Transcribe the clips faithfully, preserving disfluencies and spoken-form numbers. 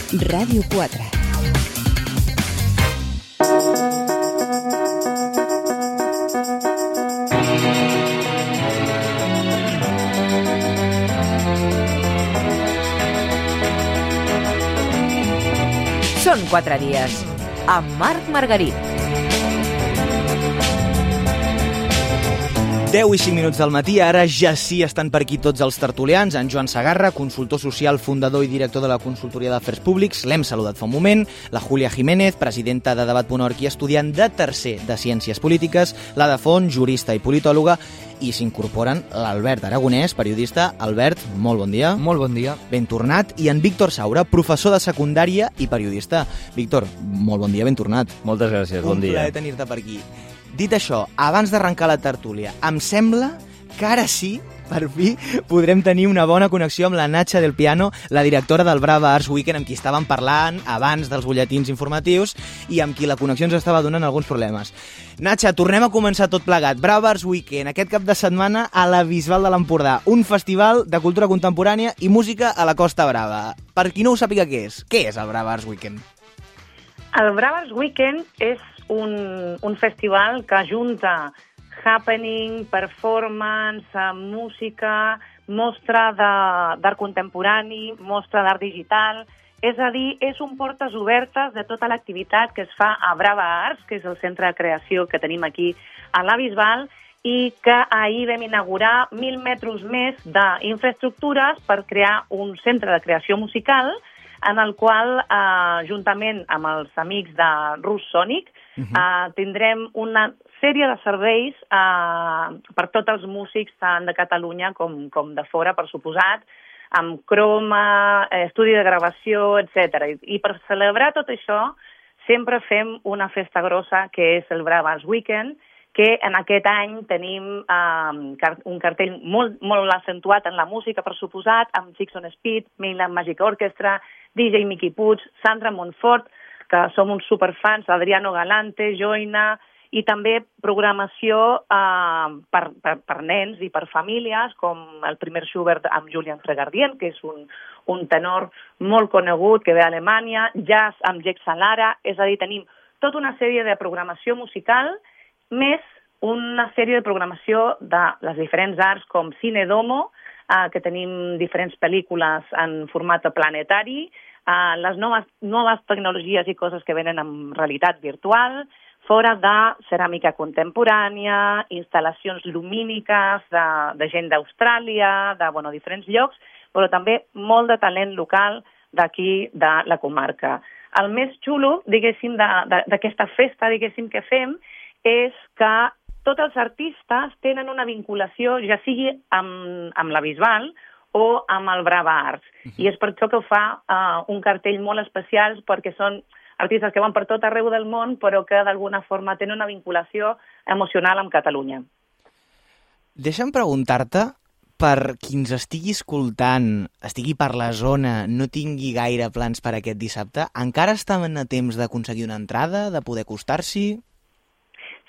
Ràdio quatre. Són quatre dies, amb Marc Margarit. deu i cinc minuts del matí, ara ja sí estan per aquí tots els tertulians. En Joan Segarra, consultor social, fundador i director de la Consultoria d'Afers Públics, l'hem saludat fa un moment. La Júlia Jiménez, presidenta de Debat punt org i estudiant de tercer de Ciències Polítiques. La de Font, jurista i politòloga. I s'incorporen l'Albert Aragonès, periodista. Albert, molt bon dia. Molt bon dia. Ben tornat. I en Víctor Saura, professor de secundària i periodista. Víctor, molt bon dia, ben tornat. Moltes gràcies, bon dia. Un plaer tenir-te per aquí. Dit això, abans d'arrencar la tertúlia, em sembla que ara sí, per fi, podrem tenir una bona connexió amb la Natxa del Piano, la directora del Brava Arts Weekend, amb qui estàvem parlant abans dels butlletins informatius i amb qui la connexió ens estava donant alguns problemes. Natxa, tornem a començar tot plegat. Brava Arts Weekend, aquest cap de setmana a la Bisbal de l'Empordà, un festival de cultura contemporània i música a la Costa Brava. Per qui no ho sàpiga què és, què és el Brava Arts Weekend? El Brava Arts Weekend és un, un festival que junta happening, performance, música, mostra d'art contemporani, mostra d'art digital. És a dir, és un portes obertes de tota l'activitat que es fa a Brava Arts, que és el centre de creació que tenim aquí a la Bisbal, i que ahir vam inaugurar mil metres més d'infraestructures per crear un centre de creació musical en el qual, eh, juntament amb els amics de Rus Sonic, uh -huh. eh, tindrem una sèrie de serveis eh, per tots els músics, tant de Catalunya com, com de fora, per suposat, amb croma, eh, estudi de gravació, etcètera. I, I per celebrar tot això, sempre fem una festa grossa, que és el Brava Arts Weekend, que en aquest any tenim eh, un cartell molt, molt accentuat en la música, per suposat, amb Six on Speed, Mainland Magic Orchestra, D J Miqui Puig, Sandra Montfort, que som uns superfans, Adriano Galante, Joina, i també programació eh, per, per, per nens i per famílies, com el primer Schubert amb Julian Fregardien, que és un, un tenor molt conegut que ve d'Alemanya, jazz amb Jake Salara, és a dir, tenim tota una sèrie de programació musical, més una sèrie de programació de les diferents arts, com Cine Domo, eh, que tenim diferents pel·lícules en format planetari, eh, les noves, noves tecnologies i coses que venen en realitat virtual, fora de ceràmica contemporània, instal·lacions lumíniques de, de gent d'Austràlia, de bueno, diferents llocs, però també molt de talent local d'aquí, de la comarca. El més xulo, diguéssim, d'aquesta festa, diguéssim, que fem, és que tots els artistes tenen una vinculació, ja sigui amb, amb la Bisbal o amb el Brava Arts. Uh-huh. I és per això que ho fa uh, un cartell molt especial, perquè són artistes que van per tot arreu del món, però que d'alguna forma tenen una vinculació emocional amb Catalunya. Deixa'm preguntar-te, per qui ens estigui escoltant, estigui per la zona, no tingui gaire plans per aquest dissabte, encara estaven a temps d'aconseguir una entrada, de poder acostar-s'hi?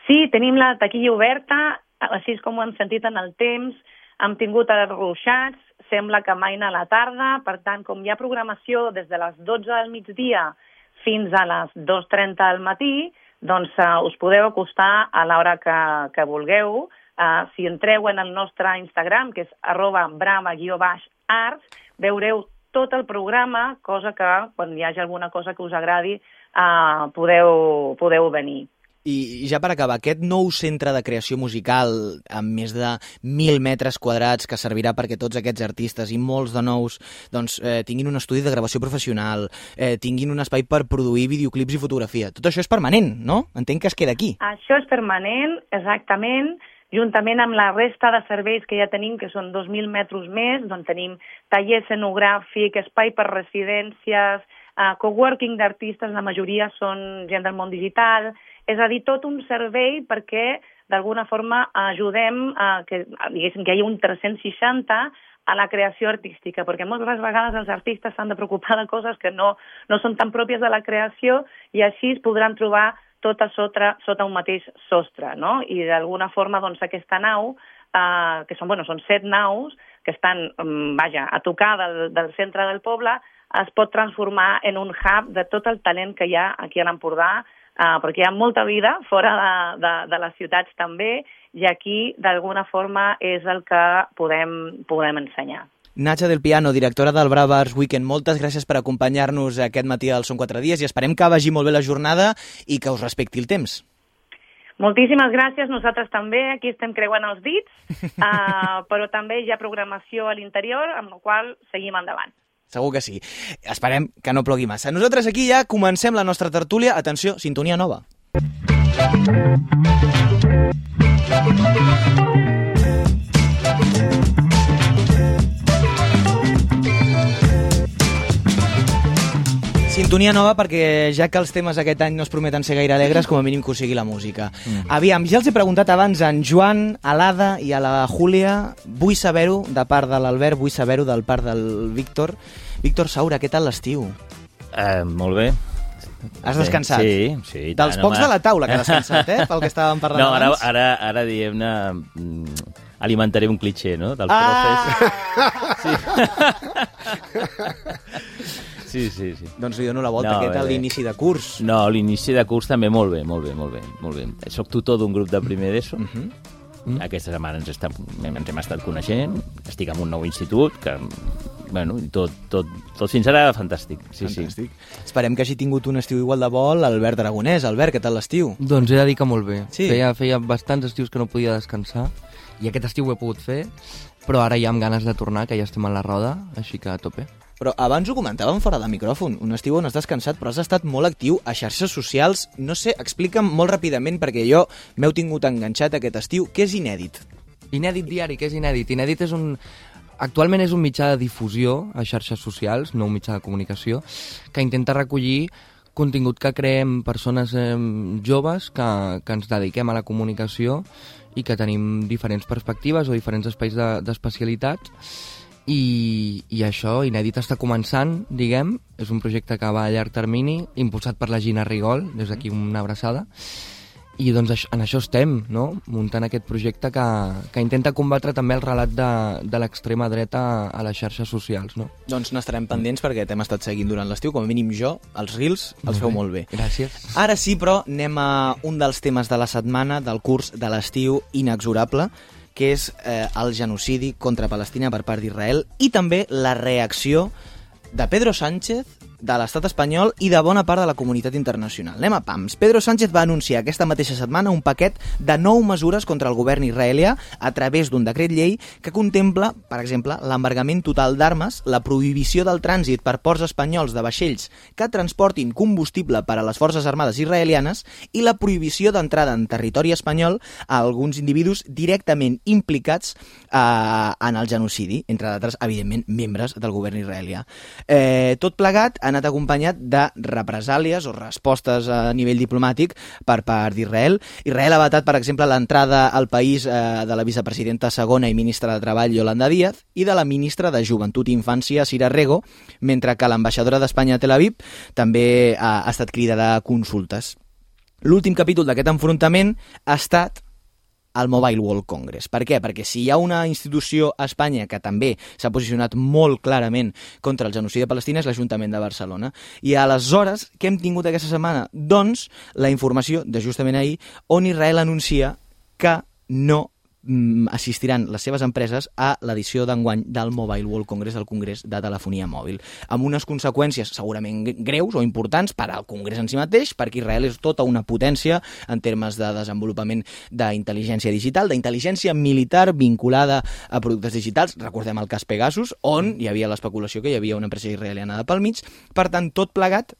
Sí, tenim la taquilla oberta, així com ho hem sentit en el temps, hem tingut els ruixats, sembla que maina a la tarda, per tant, com hi ha programació des de les dotze del migdia fins a les dues trenta del matí, doncs uh, us podeu acostar a l'hora que, que vulgueu. Uh, si entreu en el nostre Instagram, que és arroba brava guió baix arts, veureu tot el programa, cosa que quan hi hagi alguna cosa que us agradi uh, podeu, podeu venir. I ja per acabar, aquest nou centre de creació musical amb més de mil metres quadrats que servirà perquè tots aquests artistes i molts de nous doncs, eh, tinguin un estudi de gravació professional, eh, tinguin un espai per produir videoclips i fotografia. Tot això és permanent, no? Entenc que es queda aquí. Això és permanent, exactament. Juntament amb la resta de serveis que ja tenim, que són dos mil metres més, doncs tenim taller escenogràfic, espai per residències, uh, coworking d'artistes, la majoria són gent del món digital, és a dir, tot un servei perquè d'alguna forma ajudem a que, diguéssim, que hi hagi un tres-cents seixanta a la creació artística, perquè moltes vegades els artistes s'han de preocupar de coses que no, no són tan pròpies de la creació i així es podran trobar tot a sota, sota un mateix sostre, no? I d'alguna forma doncs, aquesta nau, eh, que són, bueno, són set naus, que estan, vaja, a tocar del, del centre del poble, es pot transformar en un hub de tot el talent que hi ha aquí a l'Empordà, uh, perquè hi ha molta vida fora de, de, de les ciutats també, i aquí, d'alguna forma, és el que podem, podem ensenyar. Natxa del Piano, directora del Brava Arts Weekend, moltes gràcies per acompanyar-nos aquest matí al Són quatre dies i esperem que vagi molt bé la jornada i que us respecti el temps. Moltíssimes gràcies, nosaltres també, aquí estem creuant els dits, uh, però també hi ha programació a l'interior, amb la qual seguim endavant. Segur que sí. Esperem que no plogui massa. Nosaltres aquí ja comencem la nostra tertúlia. Atenció, sintonia nova. Sintonia nova perquè ja que els temes aquest any no es prometen ser gaire alegres, com a mínim que ho sigui la música. Mm. Aviam, ja els he preguntat abans a en Joan, a l'Ada i a la Júlia. Vull saber-ho de part de l'Albert, vull saber-ho del part del Víctor. Víctor Saura, què tal l'estiu? Uh, molt bé. Has descansat? Sí, sí. Dels tant, pocs home. de la taula que has descansat, eh? Pel que estàvem parlant no, ara, abans. ara, ara diguem-ne, alimentaré un clitxé, no?, dels ah! profes. Sí. sí, sí, sí. Doncs li dono la volta, no, què tal l'inici de curs? No, l'inici de curs també molt bé, molt bé, molt bé. Molt bé. Soc tutor d'un grup de primer d'ESO. Uh -huh. Mm. Aquesta setmana ens, està, ens hem estat coneixent, estic en un nou institut, que, bueno, tot, tot, tot fins ara fantàstic. Sí, fantàstic. Sí. Esperem que hagi tingut un estiu igual de bo l'Albert Aragonès. Albert, què tal l'estiu? Doncs he de dir que molt bé. Sí. Feia, feia bastants estius que no podia descansar, i aquest estiu ho he pogut fer, però ara ja amb ganes de tornar, que ja estem a la roda, així que a tope. Però abans ho comentàvem fora de micròfon, un estiu on has descansat, però has estat molt actiu a xarxes socials. No sé, explica'm molt ràpidament, perquè jo m'heu tingut enganxat aquest estiu. Què és Inèdit? Inèdit diari, què és Inèdit? Inèdit és un... Actualment és un mitjà de difusió a xarxes socials, no un mitjà de comunicació, que intenta recollir contingut que creem persones eh, joves que, que ens dediquem a la comunicació i que tenim diferents perspectives o diferents espais de, d'especialitat. I, i això, Inèdit està començant, diguem, és un projecte que va a llarg termini, impulsat per la Gina Rigol, des d'aquí una abraçada, i doncs en això estem, no?, muntant aquest projecte que, que intenta combatre també el relat de, de l'extrema dreta a les xarxes socials, no? Doncs n'estarem pendents perquè t'hem estat seguint durant l'estiu, com a mínim jo, els Reels els molt feu bé. molt bé. Gràcies. Ara sí, però, anem a un dels temes de la setmana, del curs de l'estiu inexorable, que és eh, el genocidi contra Palestina per part d'Israel i també la reacció de Pedro Sánchez, de l'estat espanyol i de bona part de la comunitat internacional. Anem a pams. Pedro Sánchez va anunciar aquesta mateixa setmana un paquet de nou mesures contra el govern israelià a través d'un decret llei que contempla, per exemple, l'embargament total d'armes, la prohibició del trànsit per ports espanyols de vaixells que transportin combustible per a les forces armades israelianes i la prohibició d'entrada en territori espanyol a alguns individus directament implicats eh, en el genocidi, entre d'altres, evidentment, membres del govern israelià. Eh, tot plegat ha anat acompanyat de represàlies o respostes a nivell diplomàtic per part d'Israel. Israel ha vetat, per exemple, l'entrada al país eh, de la vicepresidenta segona i ministra de Treball, Yolanda Díaz, i de la ministra de Joventut i Infància, Cira Rego, mentre que l'ambaixadora d'Espanya a Tel Aviv també ha, ha estat cridada a consultes. L'últim capítol d'aquest enfrontament ha estat el Mobile World Congress. Per què? Perquè si hi ha una institució a Espanya que també s'ha posicionat molt clarament contra el genocidi de Palestina és l'Ajuntament de Barcelona. I aleshores, què hem tingut aquesta setmana? Doncs la informació de justament ahir on Israel anuncia que no assistiran les seves empreses a l'edició d'enguany del Mobile World Congress, del Congrés de Telefonia Mòbil, amb unes conseqüències segurament greus o importants per al Congrés en si mateix, perquè Israel és tota una potència en termes de desenvolupament d'intel·ligència digital, d'intel·ligència militar vinculada a productes digitals. Recordem el cas Pegasus, on hi havia l'especulació que hi havia una empresa israeliana de pel mig. Per tant, tot plegat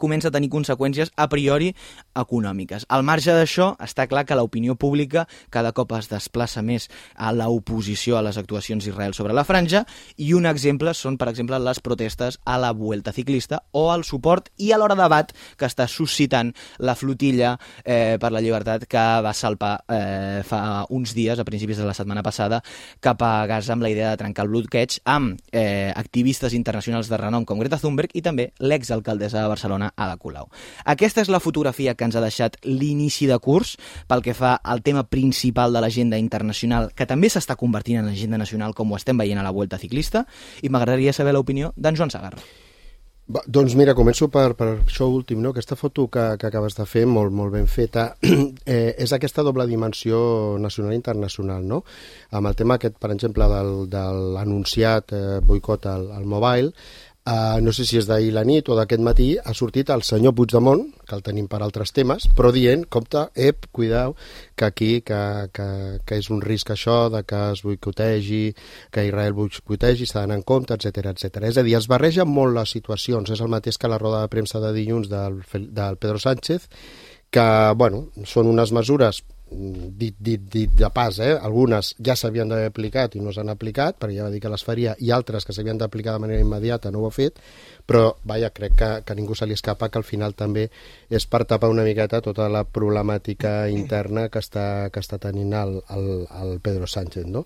comença a tenir conseqüències a priori econòmiques. Al marge d'això, està clar que l'opinió pública cada cop es desplaça més a l'oposició a les actuacions d'Israel sobre la franja, i un exemple són, per exemple, les protestes a la Vuelta Ciclista o el suport i alhora debat que està suscitant la flotilla eh, per la llibertat que va salpar eh, fa uns dies, a principis de la setmana passada, cap a Gaza amb la idea de trencar el bloqueig amb eh, activistes internacionals de renom com Greta Thunberg i també l'exalcaldessa de Barcelona, Palestina, Ada Colau. Aquesta és la fotografia que ens ha deixat l'inici de curs pel que fa al tema principal de l'agenda internacional, que també s'està convertint en agenda nacional, com ho estem veient a la Vuelta Ciclista, i m'agradaria saber l'opinió d'en Joan Sagarra. Va, doncs mira, començo per, per això últim, no? Aquesta foto que, que acabes de fer, molt, molt ben feta, eh, és aquesta doble dimensió nacional i internacional, no? Amb el tema aquest, per exemple, del, de l'anunciat eh, boicot al, al mobile, Uh, no sé si és d'ahir la nit o d'aquest matí, ha sortit el senyor Puigdemont, que el tenim per altres temes, però dient, compte, ep, cuidao, que aquí, que, que, que és un risc això, de que es boicotegi, que Israel boicotegi, s'ha d'anar en compte, etcètera, etcètera. És a dir, es barregen molt les situacions, és el mateix que la roda de premsa de dilluns del, del Pedro Sánchez, que, bueno, són unes mesures dit, dit, dit de pas, eh? Algunes ja s'havien d'haver aplicat i no s'han aplicat, perquè ja va dir que les faria, i altres que s'havien d'aplicar de manera immediata no ho ha fet, però vaja, crec que, que a ningú se li escapa que al final també és per tapar una miqueta tota la problemàtica interna que està, que està tenint el, el, el Pedro Sánchez, no?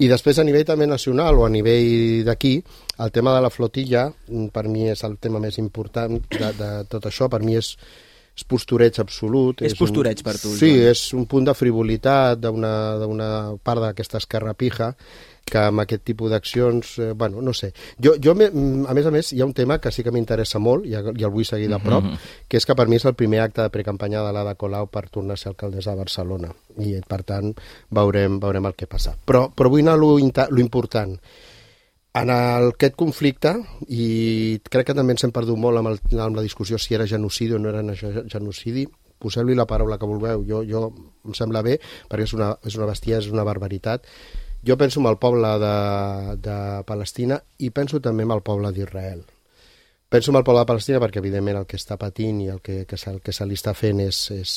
I després a nivell també nacional o a nivell d'aquí, el tema de la flotilla per mi és el tema més important de, de tot això, per mi és és postureig absolut. És, és postureig un, per tu. Sí, Joan. És un punt de frivolitat d'una part d'aquesta esquerra pija que amb aquest tipus d'accions, eh, bueno, no sé. Jo, jo, a més a més, hi ha un tema que sí que m'interessa molt, i, i el vull seguir de prop, mm-hmm. que és que per mi és el primer acte de precampanya de l'Ada Colau per tornar a ser alcaldessa de Barcelona. I, per tant, veurem, veurem el que passa. Però, però vull anar a lo, lo important. En el, aquest conflicte, i crec que també ens hem perdut molt amb, el, amb la discussió si era genocidi o no era genocidi, poseu-li la paraula que vulgueu, jo, jo em sembla bé, perquè és una, és una bestiesa, és una barbaritat. Jo penso en el poble de, de Palestina i penso també en el poble d'Israel. Penso en el poble de Palestina perquè, evidentment, el que està patint i el que, que, se, el que se li està fent és, és,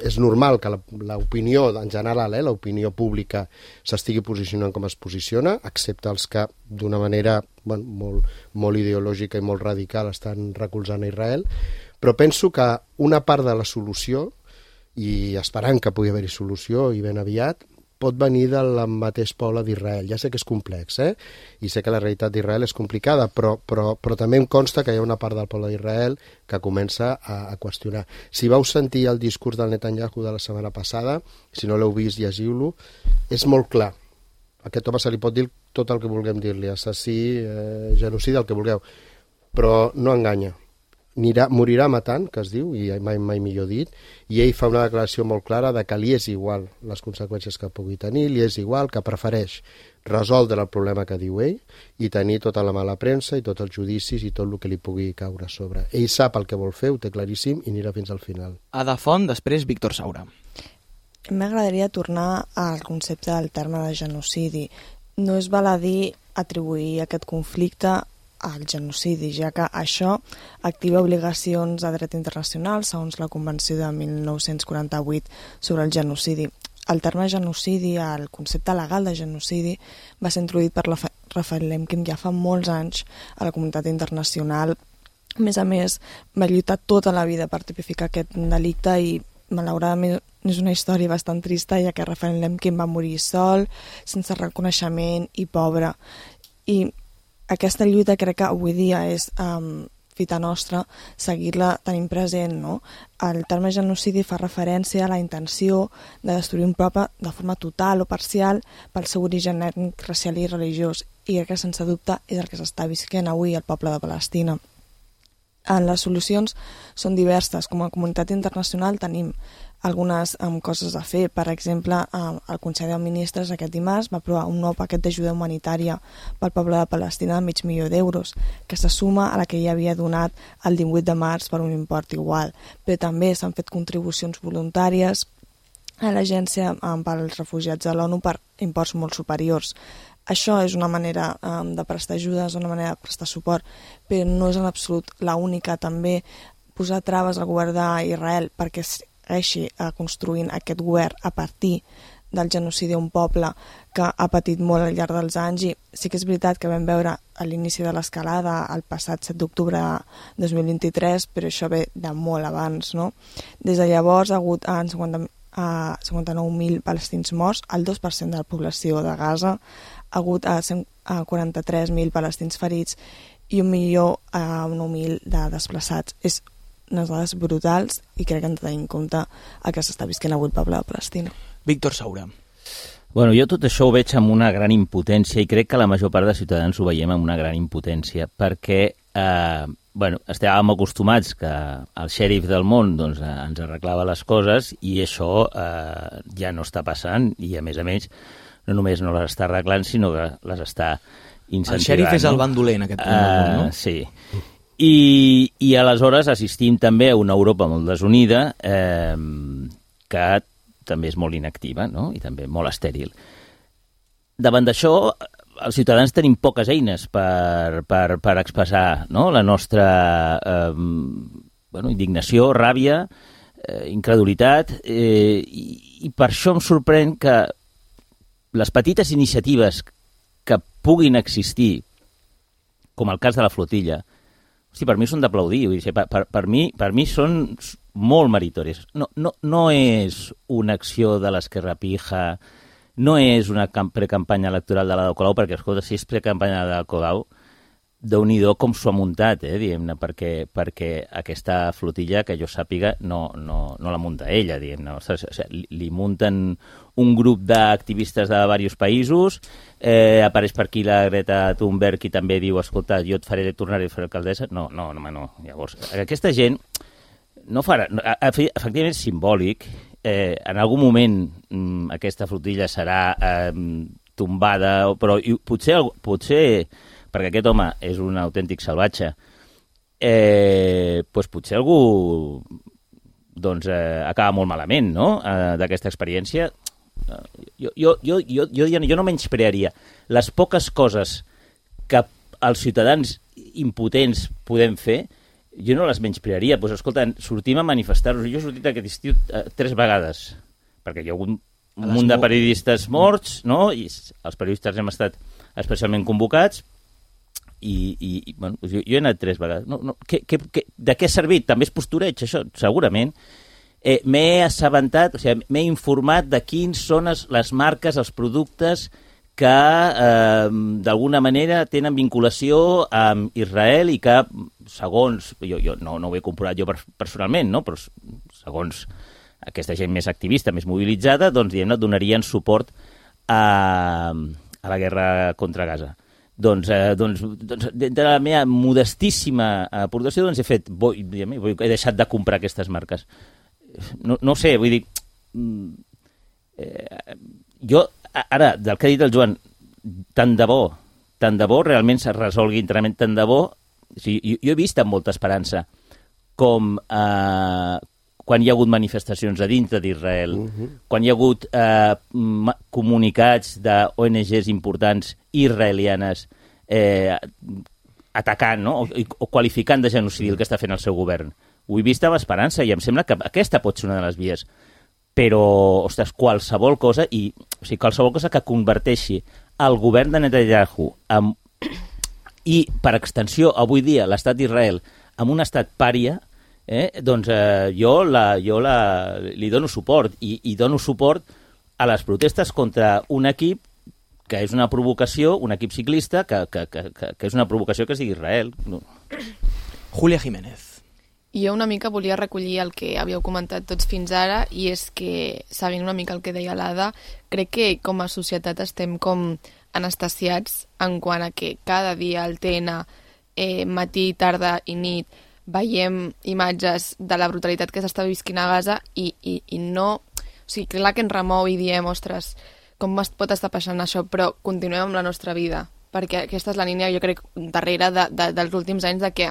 és normal que l'opinió, en general, eh, l'opinió pública s'estigui posicionant com es posiciona, excepte els que, d'una manera bueno, molt, molt ideològica i molt radical, estan recolzant a Israel. Però penso que una part de la solució, i esperant que pugui haver-hi solució i ben aviat, pot venir del mateix poble d'Israel. Ja sé que és complex, eh? I sé que la realitat d'Israel és complicada, però, però, però també em consta que hi ha una part del poble d'Israel que comença a, a qüestionar. Si vau sentir el discurs del Netanyahu de la setmana passada, si no l'heu vist, llegiu-lo, és molt clar. A aquest home se li pot dir tot el que vulguem dir-li, assassí, eh, genocidi, el que vulgueu, però no enganya. Anirà, morirà matant, que es diu, i mai, mai millor dit, i ell fa una declaració molt clara de que li és igual les conseqüències que pugui tenir, li és igual, que prefereix resoldre el problema que diu ell i tenir tota la mala premsa i tots els judicis i tot el que li pugui caure a sobre. Ell sap el que vol fer, ho té claríssim i anirà fins al final. Ada Font, després Víctor Saura. M'agradaria tornar al concepte del terme de genocidi. No és baladí atribuir aquest conflicte al genocidi, ja que això activa obligacions de dret internacional segons la Convenció de mil nou-cents quaranta-vuit sobre el genocidi. El terme genocidi, el concepte legal de genocidi, va ser introduït per la Rafael Lemkin ja fa molts anys a la comunitat internacional. A més a més, va lluitar tota la vida per tipificar aquest delicte i malauradament és una història bastant trista, ja que Rafael Lemkin va morir sol, sense reconeixement i pobre. I aquesta lluita crec que avui dia és um, fita nostra seguir-la tenint present, no? El terme genocidi fa referència a la intenció de destruir un poble de forma total o parcial pel seu origen ètnic, racial i religiós, i crec que sense dubte és el que s'està visquent avui al poble de Palestina. Les solucions són diverses. Com a comunitat internacional tenim algunes um, coses a fer. Per exemple, um, el Consell de Ministres aquest dimarts va aprovar un nou paquet d'ajuda humanitària pel poble de Palestina de mig milió d'euros, que se suma a la que ja havia donat el divuit de març per un import igual. Però també s'han fet contribucions voluntàries a l'Agència um, pels Refugiats de l'ONU per imports molt superiors. Això és una manera um, de prestar ajuda, és una manera de prestar suport, però no és en absolut l'única. També posar traves al govern d'Israel perquè segueixi construint aquest govern a partir del genocidi d'un poble que ha patit molt al llarg dels anys. I sí que és veritat que vam veure a l'inici de l'escalada el passat set d'octubre de dos mil vint-i-tres, però això ve de molt abans, no? Des de llavors ha hagut en cinquanta a cinquanta-nou mil palestins morts, el dos per cent de la població de Gaza, ha hagut a quaranta-tres mil palestins ferits i un milió a nou mil de desplaçats. És unes dades brutals i crec que hem de tenir en compte el que s'està visquent avui el poble de Palestina. Víctor Saura. Bueno, jo tot això ho veig amb una gran impotència i crec que la major part de ciutadans ho veiem amb una gran impotència perquè eh, bueno, estàvem acostumats que el xèrif del món doncs, ens arreglava les coses i això eh, ja no està passant i a més a més no només no les està arreglant sinó que les està incentivant. El xèrif és el bandoler en aquest punt del món, no? Uh, sí. I, I aleshores assistim també a una Europa molt desunida eh, que també és molt inactiva, no? I també molt estèril. Davant d'això, els ciutadans tenim poques eines per, per, per expressar, no? La nostra eh, bueno, indignació, ràbia, eh, incredulitat, eh, i, i per això em sorprèn que les petites iniciatives que puguin existir, com el cas de la flotilla, hosti, per mi són d'aplaudir. Per, per, per, mi, per mi són molt meritòries. No, no, no és una acció de l'Esquerra Pija, no és una precampanya electoral de l'Ada Colau, perquè, escolta, si és precampanya de l'Ada Colau, déu-n'hi-do com s'ho ha muntat, eh, diguem-ne, perquè, perquè aquesta flotilla, que jo sàpiga, no, no, no la munta ella, diguem-ne. O sigui, li, li munten un grup d'activistes de diversos països, eh, apareix per aquí la Greta Thunberg i també diu, escolta, jo et faré tornar a fer alcaldessa. No, no, no, no. Llavors, aquesta gent no farà... Efectivament és simbòlic. Eh, en algun moment mm, aquesta flotilla serà eh, tombada, però i, potser... potser perquè aquest home és un autèntic salvatge, eh, doncs potser algú doncs, eh, acaba molt malament, no?, eh, d'aquesta experiència. Jo, jo, jo, jo, jo, jo no menysprearia les poques coses que els ciutadans impotents podem fer, jo no les menysprearia. Doncs, escolta, sortim a manifestar-nos. Jo he sortit aquest estiu eh, tres vegades, perquè hi ha hagut un munt de periodistes morts, no?, i els periodistes hem estat especialment convocats, i, i, i bueno, jo, jo he anat tres vegades. No, no, que, que, que, de què ha servit? També és postureig, això, segurament. Eh, m'he assabentat, o sigui, m'he informat de quins són les, les marques, els productes que eh, d'alguna manera tenen vinculació amb Israel i que, segons, jo, jo no, no ho he comprovat jo personalment, no? Però segons aquesta gent més activista, més mobilitzada, doncs, diguem-ne, donarien suport a, a la guerra contra Gaza. Doncs, eh, doncs, doncs de la meva modestíssima aportació doncs he fet, bo, he deixat de comprar aquestes marques. No, no sé, vull dir, eh, jo, ara, del que ha dit el Joan, tant de bo, tant de bo realment se resolgui internament, tant de bo, o sigui, jo, jo he vist amb molta esperança com eh, quan hi ha hagut manifestacions a dintre d'Israel, uh-huh. quan hi ha hagut eh, comunicats d'O N Ges importants israelianes eh, atacant, no? o, o qualificant de genocidi el que està fent el seu govern. Ho he vist amb esperança i em sembla que aquesta pot ser una de les vies. Però, ostres, qualsevol cosa, i, o sigui, qualsevol cosa que converteixi el govern de Netanyahu en, i, per extensió, avui dia, l'estat d'Israel en un estat pària, eh, doncs eh, jo, la, jo la, li dono suport i, i dono suport a les protestes contra un equip que és una provocació, un equip ciclista que, que, que, que és una provocació que sigui Israel. No. Julia Jiménez. Jo una mica volia recollir el que havíeu comentat tots fins ara, i és que, sabent una mica el que deia l'Ada, crec que com a societat estem com anestesiats en quant a que cada dia al T N, eh, matí, tarda i nit, veiem imatges de la brutalitat que s'està visquint a Gaza i, i, i no... O sigui, clar que ens remou i diem, ostres, com pot estar passant això, però continuem amb la nostra vida, perquè aquesta és la línia, jo crec, darrere de, de, dels últims anys, de que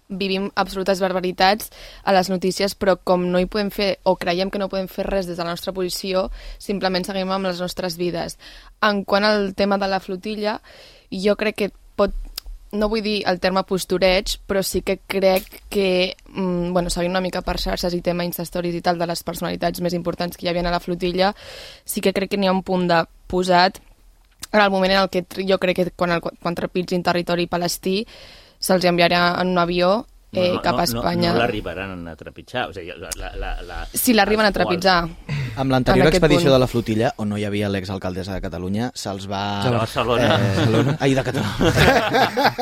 vivim absolutes barbaritats a les notícies, però com no hi podem fer, o creiem que no podem fer res des de la nostra posició, simplement seguim amb les nostres vides. En quant al tema de la flotilla, jo crec que pot, no vull dir el terme postureig, però sí que crec que, mm, bueno, seguint una mica per xarxes i tema Instastories i tal, de les personalitats més importants que hi havia a la flotilla, sí que crec que n'hi ha un punt de posat en el moment en el que jo crec que quan, el, quan trepitgin territori palestí se'ls enviarà en un avió eh, no, no, cap a Espanya. No, no, no l'arribaran a trepitjar. O sigui, la, la, la, si l'arriben a trepitjar. Amb l'anterior en aquest expedició punt. de la flotilla, on no hi havia l'exalcaldessa de Catalunya, se'ls va... De Barcelona. Eh, ai, de Catalunya.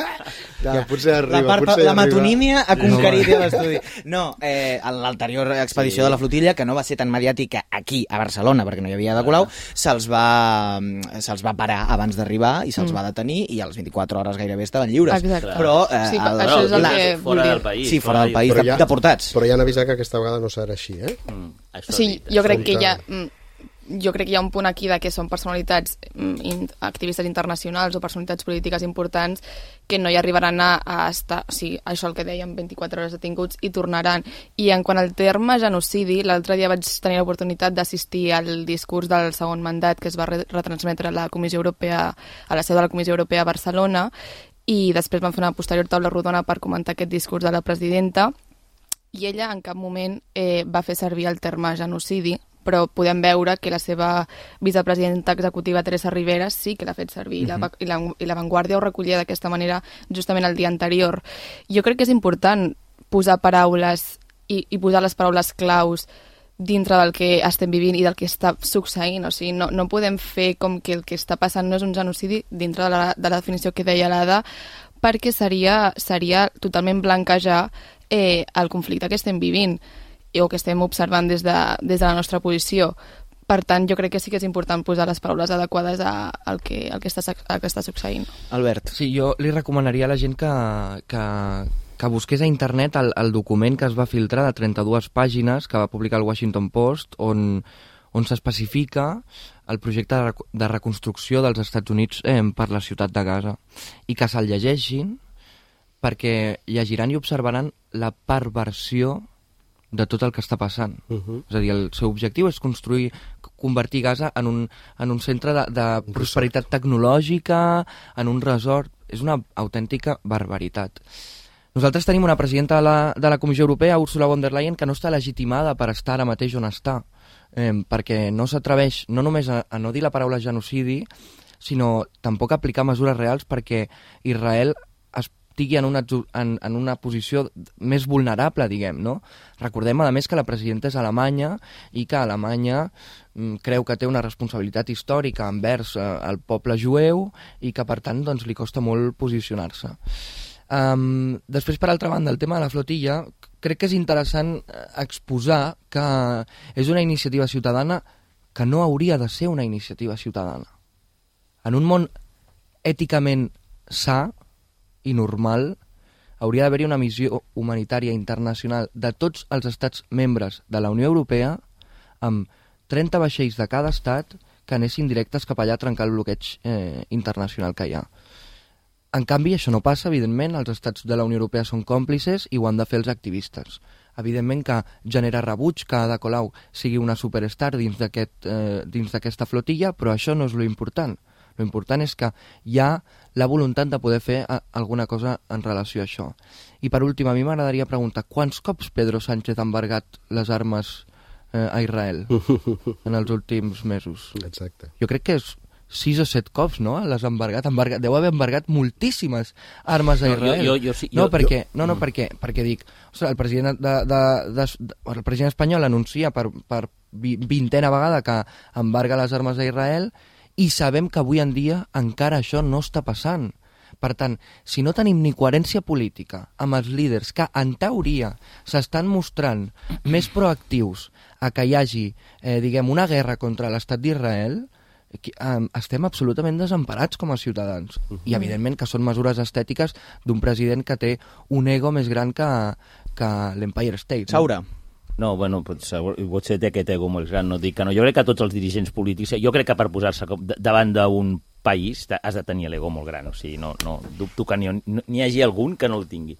Que potser arriba, la, part, potser la arriba. metonímia ha conquerit no, l'estudi. No, eh, en l'anterior expedició sí. de la flotilla, que no va ser tan mediàtica aquí, a Barcelona, perquè no hi havia de Colau, se'ls va, se'ls va parar abans d'arribar i se'ls mm. va detenir i a les vint-i-quatre hores gairebé estaven lliures. Exacte. Però, eh, sí, el, això és el la, que fora del país. Sí, fora del país, però ja, deportats. Però ja han avisat que aquesta vegada no serà així, eh? Mm, sí, jo crec que hi ha... Jo crec que hi ha un punt aquí de que són personalitats, in, activistes internacionals o personalitats polítiques importants que no hi arribaran a, a estar, o sigui, això el que dèiem, vint-i-quatre hores detinguts i tornaran. I en quant al terme genocidi, l'altre dia vaig tenir l'oportunitat d'assistir al discurs del segon mandat que es va retransmetre a la Comissió Europea, a la seu de la Comissió Europea a Barcelona, i després van fer una posterior taula rodona per comentar aquest discurs de la presidenta, i ella en cap moment eh, va fer servir el terme genocidi, però podem veure que la seva vicepresidenta executiva Teresa Rivera sí que l'ha fet servir, uh-huh. i, la, i la Vanguardia ho recollia d'aquesta manera justament el dia anterior. Jo crec que és important posar paraules i, i posar les paraules claus dintre del que estem vivint i del que està succeint. O sigui, no, no podem fer com que el que està passant no és un genocidi dintre de la, de la definició que deia l'Ada, perquè seria, seria totalment blanquejar eh, el conflicte que estem vivint o que estem observant des de, des de la nostra posició. Per tant, jo crec que sí que és important posar les paraules adequades a, al, que, al que, està, al que està succeint. Albert. Sí, jo li recomanaria a la gent que, que, que busqués a internet el, el document que es va filtrar de trenta-dues pàgines que va publicar el Washington Post, on, on s'especifica el projecte de, de reconstrucció dels Estats Units eh, per la ciutat de Gaza, i que se'l llegeixin perquè llegiran i observaran la perversió de tot el que està passant. Uh-huh. És a dir, el seu objectiu és construir, convertir Gaza en un, en un centre de, de prosperitat tecnològica, en un resort. És una autèntica barbaritat. Nosaltres tenim una presidenta de la, de la Comissió Europea, Ursula von der Leyen, que no està legitimada per estar ara mateix on està, eh, perquè no s'atreveix no només a, a no dir la paraula genocidi, sinó tampoc a aplicar mesures reals perquè Israel estigui en una, en, en una posició més vulnerable, diguem, no? Recordem, a més, que la presidenta és alemanya i que Alemanya mm, creu que té una responsabilitat històrica envers eh, el poble jueu i que, per tant, doncs, li costa molt posicionar-se. Um, després, per altra banda, el tema de la flotilla, crec que és interessant exposar que és una iniciativa ciutadana que no hauria de ser una iniciativa ciutadana. En un món èticament sa i normal, hauria d'haver-hi una missió humanitària internacional de tots els estats membres de la Unió Europea amb trenta vaixells de cada estat que anessin directes cap allà a trencar el bloqueig eh, internacional que hi ha. En canvi, això no passa, evidentment, els estats de la Unió Europea són còmplices i ho han de fer els activistes. Evidentment que genera rebuig que Ada Colau sigui una superstar dins d'aquest, eh, dins d'aquesta flotilla, però això no és lo important. Lo important és que hi ha la voluntat de poder fer a, alguna cosa en relació a això. I per últim, a mi m'agradaria preguntar quants cops Pedro Sánchez ha embargat les armes eh, a Israel en els últims mesos? Exacte. Jo crec que és sis o set cops, no? Les ha embargat, embargat. Deu haver embargat moltíssimes armes a Israel. No, jo, jo, jo, sí, no, jo, perquè, jo... no, no, perquè, perquè dic, ostres, el president, de, de, de, de, el president espanyol anuncia per, per vintena vegada que embarga les armes a Israel i sabem que avui en dia encara això no està passant. Per tant, si no tenim ni coherència política amb els líders que, en teoria, s'estan mostrant més proactius a que hi hagi, eh, diguem, una guerra contra l'estat d'Israel, eh, estem absolutament desemparats com a ciutadans. Uh-huh. I, evidentment, que són mesures estètiques d'un president que té un ego més gran que, que l'Empire State. No? Saura. No, bueno, potser, potser té aquest ego molt gran, no dic que no. Jo crec que tots els dirigents polítics, jo crec que per posar-se davant d'un país has de tenir l'ego molt gran, o sigui, no, no dubto que n'hi, n'hi hagi algun que no el tingui.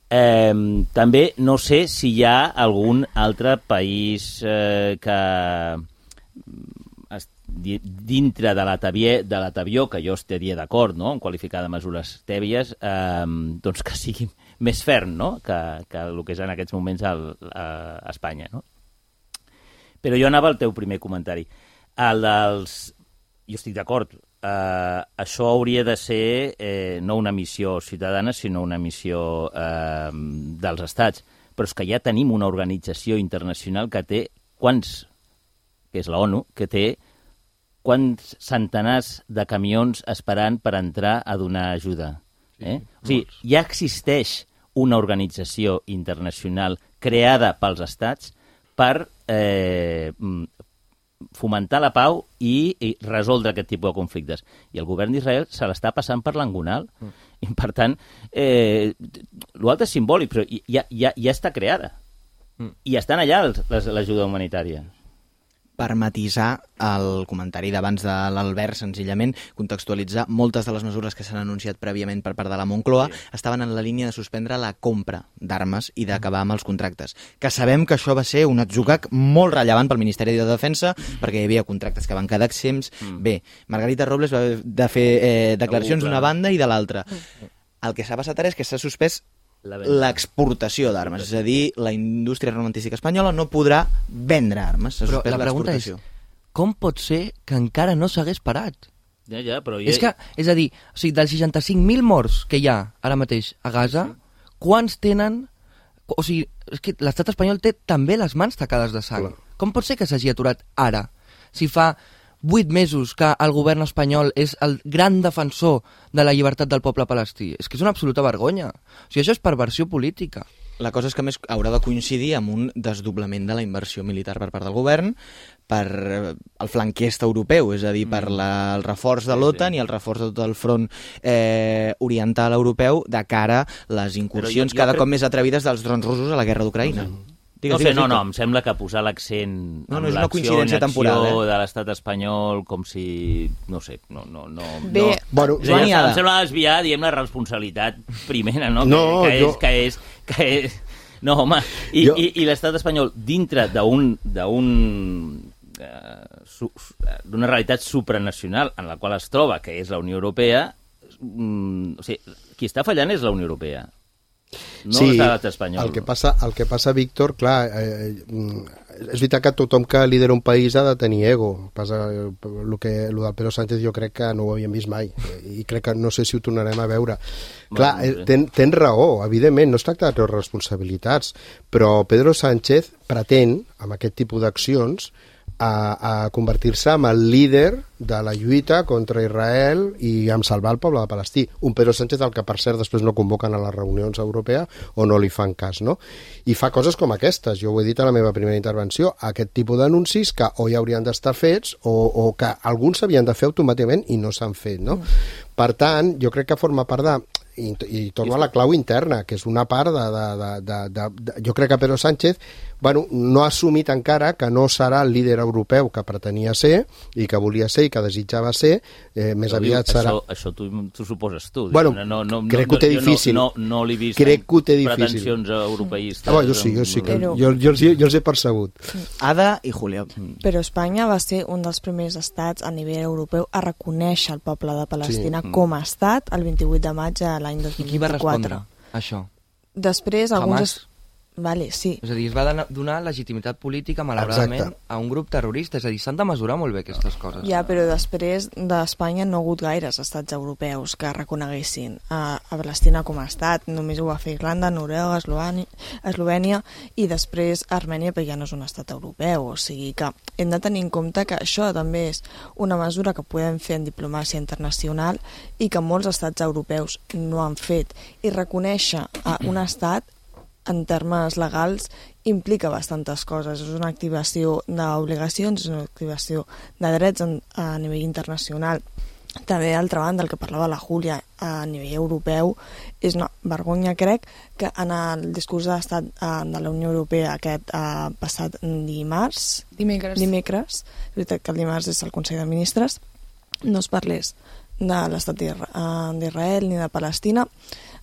Eh, també no sé si hi ha algun altre país eh, que dintre de la tabier, de la tabió, que jo estaria d'acord, no?, en qualificar de mesures tèbies, eh, doncs que sigui més ferm, no?, que, que el que és en aquests moments el, a Espanya, no? Però jo anava al teu primer comentari. El dels... Jo estic d'acord. Eh, això hauria de ser eh, no una missió ciutadana, sinó una missió eh, dels estats. Però és que ja tenim una organització internacional que té quants que és la ONU, que té quants centenars de camions esperant per entrar a donar ajuda. Eh? Sí, o sigui, ja existeix una organització internacional creada pels estats per eh, fomentar la pau i, i resoldre aquest tipus de conflictes. I el govern d'Israel se l'està passant per l'angonal. Mm. I, per tant, eh, l'altre és simbòlic, però ja, ja, ja està creada. Mm. I estan allà l'ajuda humanitària. Per matisar el comentari d'abans de l'Albert, senzillament, contextualitzar, moltes de les mesures que s'han anunciat prèviament per part de la Moncloa sí. estaven en la línia de suspendre la compra d'armes i d'acabar amb els contractes. Que sabem que això va ser un atzucac molt rellevant pel Ministeri de Defensa, perquè hi havia contractes que van quedar exempts. Mm. Bé, Margarita Robles va de fer eh, declaracions d'una banda i de l'altra. El que s'ha passat ara és que s'ha suspès l'exportació d'armes, és a dir, la indústria armamentística espanyola no podrà vendre armes. Però la pregunta és, com pot ser que encara no s'hagués parat? Ja, ja, però... Ja... És, que, és a dir, o sigui, dels seixanta-cinc mil morts que hi ha ara mateix a Gaza, sí. quants tenen... O sigui, és que l'estat espanyol té també les mans tacades de sang. Clar. Com pot ser que s'hagi aturat ara? Si fa vuit mesos que el govern espanyol és el gran defensor de la llibertat del poble palestí. És que és una absoluta vergonya. O sigui, això és perversió política. La cosa és que més haurà de coincidir amb un desdoblament de la inversió militar per part del govern per el flanc est europeu, és a dir, per la, el reforç de l'OTAN sí, sí. i el reforç de tot el front eh, oriental europeu de cara a les incursions jo, jo cada crec... cop més atrevides dels drons russos a la guerra d'Ucraïna. Sí. Digues, no sé, digues, no, no, em sembla que posar l'accent no, no, en l'acció en acció eh? de l'estat espanyol com si, no sé, no... no, no Bé, no. Bueno, és dir, em sembla desviar, diem, la responsabilitat primera, no? no que, que, jo... és, que és... Que és... No, home, i, jo... i, i l'estat espanyol dintre d'un... d'un uh, su, d'una realitat supranacional en la qual es troba, que és la Unió Europea, um, o sigui, qui està fallant és la Unió Europea. No sí, l'estat espanyol. El que passa, el que passa, Víctor, clar, eh, és veritat que tothom que lidera un país ha de tenir ego. Passa, el, que, el del Pedro Sánchez jo crec que no ho havíem vist mai i crec que no sé si ho tornarem a veure. Clar, eh, ten, ten raó, evidentment, no es tracta de treure responsabilitats, però Pedro Sánchez pretén, amb aquest tipus d'accions, a, a convertir-se en el líder de la lluita contra Israel i en salvar el poble de Palestí. Un Pedro Sánchez al que, per cert, després no convoquen a les reunions europees o no li fan cas, no? I fa coses com aquestes, jo ho he dit a la meva primera intervenció, aquest tipus d'anuncis que o ja haurien d'estar fets o, o que alguns s'havien de fer automàticament i no s'han fet, no? Mm. Per tant, jo crec que forma part de... I, i torno a la clau interna, que és una part de... de, de, de, de, de jo crec que Pedro Sánchez bueno, no ha assumit encara que no serà el líder europeu que pretenia ser i que volia ser i que desitjava ser, eh, més però aviat diu, serà... Això, això tu, tu suposes tu. Bueno, no, no, crec no, que ho té difícil. No, no, no l'he vist crec que ho té difícil. Pretensions europeistes. Ah, bueno, jo sí, jo sí, que, però... jo, jo, els, jo els he percebut. Ada i Julio. Però Espanya va ser un dels primers estats a nivell europeu a reconèixer el poble de Palestina sí. com a estat el vint-i-vuit de maig a l'any dos mil vint-i-quatre. I qui va respondre a això? Després, alguns... Hamas? Vale, sí. És a dir, es va donar legitimitat política, malauradament, Exacte. a un grup terrorista. És a dir, s'han de mesurar molt bé aquestes coses. Ja, però després d'Espanya no ha hagut gaires estats europeus que reconeguessin a, a Palestina com a estat. Només ho va fer Irlanda, Noruega, Eslovènia, Eslovènia i després Armènia, però ja no és un estat europeu. O sigui que hem de tenir en compte que això també és una mesura que podem fer en diplomàcia internacional i que molts estats europeus no han fet. I reconèixer a un estat en termes legals implica bastantes coses. És una activació d'obligacions, és una activació de drets en, a nivell internacional. També, d'altra banda, el que parlava la Júlia a nivell europeu, és una vergonya, crec, que en el discurs d'estat de la Unió Europea aquest eh, passat dimarts, dimecres. dimecres, és veritat que el dimarts és el Consell de Ministres, no es parlés de l'estat d'Israel ni de Palestina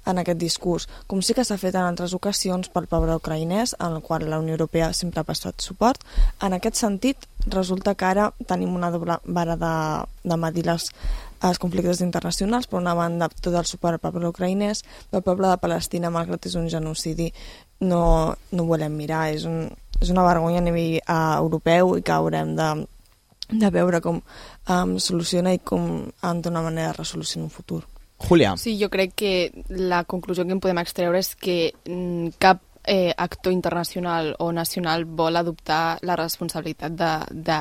en aquest discurs, com sí que s'ha fet en altres ocasions pel poble ucraïnès, en el qual la Unió Europea sempre ha prestat suport. En aquest sentit, resulta que ara tenim una doble vara de, de medir les, els conflictes internacionals. Per una banda, tot el suport al poble ucraïnès, el poble de Palestina, malgrat és un genocidi, no, no volem mirar. És, un, és una vergonya a nivell uh, europeu i que haurem de, de veure com um, soluciona i com um, d'una manera resolució en un futur. Julià. Sí, jo crec que la conclusió que en podem extreure és que cap eh, actor internacional o nacional vol adoptar la responsabilitat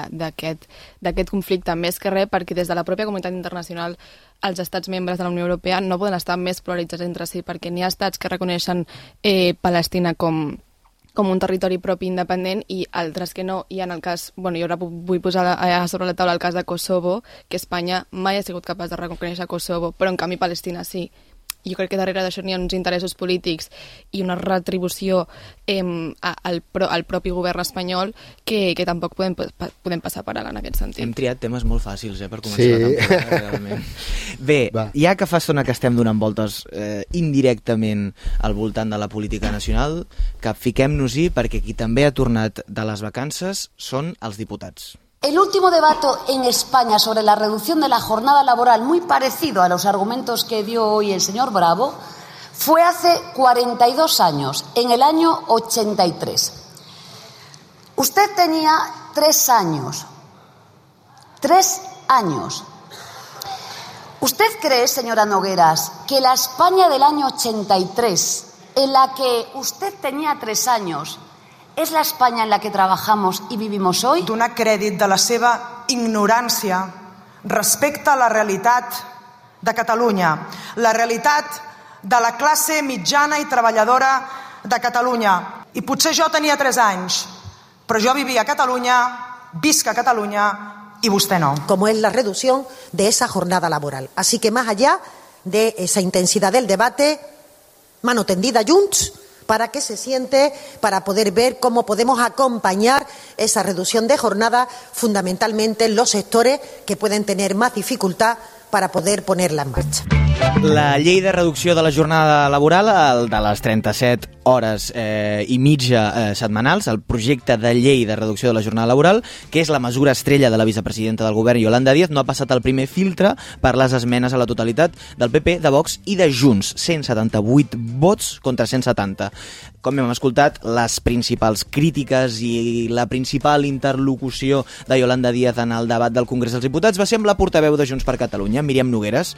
d'aquest conflicte, més que res perquè des de la pròpia comunitat internacional els estats membres de la Unió Europea no poden estar més polaritzats entre si, perquè n'hi ha estats que reconeixen eh, Palestina com com un territori propi independent i altres que no, i en el cas, bueno, jo ara vull posar a sobre la taula el cas de Kosovo, que Espanya mai ha sigut capaç de reconèixer Kosovo, però en canvi Palestina sí. Jo crec que darrere d'això n'hi ha uns interessos polítics i una retribució eh, al, pro, al propi govern espanyol que, que tampoc podem, podem passar per alt en aquest sentit. Hem triat temes molt fàcils eh, per començar sí. la temporada, realment. Bé, Va. ja que fa estona que estem donant voltes eh, indirectament al voltant de la política nacional, capfiquem-nos-hi perquè qui també ha tornat de les vacances són els diputats. El último debate en España sobre la reducción de la jornada laboral, muy parecido a los argumentos que dio hoy el señor Bravo, fue hace cuarenta y dos años, en el año ochenta y tres. Usted tenía tres años. Tres años. ¿Usted cree, señora Nogueras, que la España del año ochenta y tres, en la que usted tenía tres años, és la Espanya en la que trabajamos i vivimos hoy? Donar crèdit de la seva ignorància respecte a la realitat de Catalunya, la realitat de la classe mitjana i treballadora de Catalunya. I potser jo tenia tres anys, però jo vivia a Catalunya, visc a Catalunya y usted no. Como es la reducción de esa jornada laboral. Así que más allá de esa intensidad del debate, mano tendida junts, para que se siente, para poder ver cómo podemos acompañar esa reducción de jornada, fundamentalmente en los sectores que pueden tener más dificultad para poder ponerla en marcha. La llei de reducció de la jornada laboral, el de les trenta-set hores eh, i mitja eh, setmanals, el projecte de llei de reducció de la jornada laboral, que és la mesura estrella de la vicepresidenta del govern, Yolanda Díaz, no ha passat el primer filtre per les esmenes a la totalitat del P P, de Vox i de Junts. cent setanta-vuit vots contra cent setanta. Com hem escoltat, les principals crítiques i la principal interlocució de Yolanda Díaz en el debat del Congrés dels Diputats va ser amb la portaveu de Junts per Catalunya, Míriam Nogueras.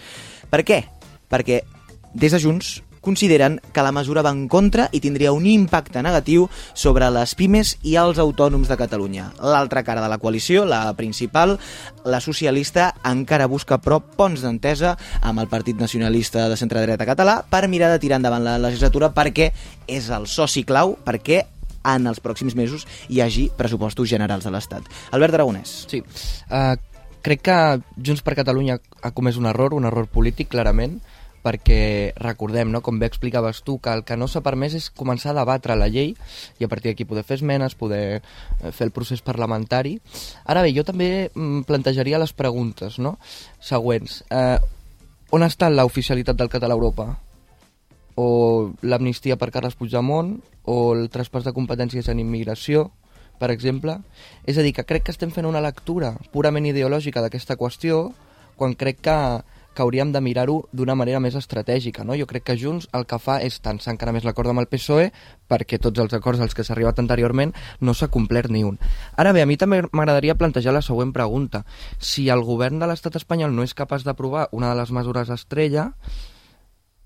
Per què? Perquè des de Junts consideren que la mesura va en contra i tindria un impacte negatiu sobre les pimes i els autònoms de Catalunya. L'altra cara de la coalició, la principal, la socialista, encara busca però ponts d'entesa amb el Partit Nacionalista de centre-dreta català per mirar de tirar endavant la legislatura, perquè és el soci clau perquè en els pròxims mesos hi hagi pressupostos generals de l'Estat. Albert Aragonès. Sí, uh, crec que Junts per Catalunya ha comès un error, un error polític, clarament, perquè recordem, no, com bé explicaves tu, que el que no s'ha permès és començar a debatre la llei i a partir d'aquí poder fer esmenes, poder fer el procés parlamentari. Ara bé, jo també plantejaria les preguntes, no?, següents. Eh, on està l'oficialitat del català a Europa? O l'amnistia per Carles Puigdemont? O el traspàs de competències en immigració, per exemple? És a dir, que crec que estem fent una lectura purament ideològica d'aquesta qüestió quan crec que que hauríem de mirar-ho d'una manera més estratègica, no? Jo crec que Junts el que fa és tensar encara més l'acord amb el P S O E perquè tots els acords als que s'ha arribat anteriorment no s'ha complert ni un. Ara bé, a mi també m'agradaria plantejar la següent pregunta. Si el govern de l'estat espanyol no és capaç d'aprovar una de les mesures estrella,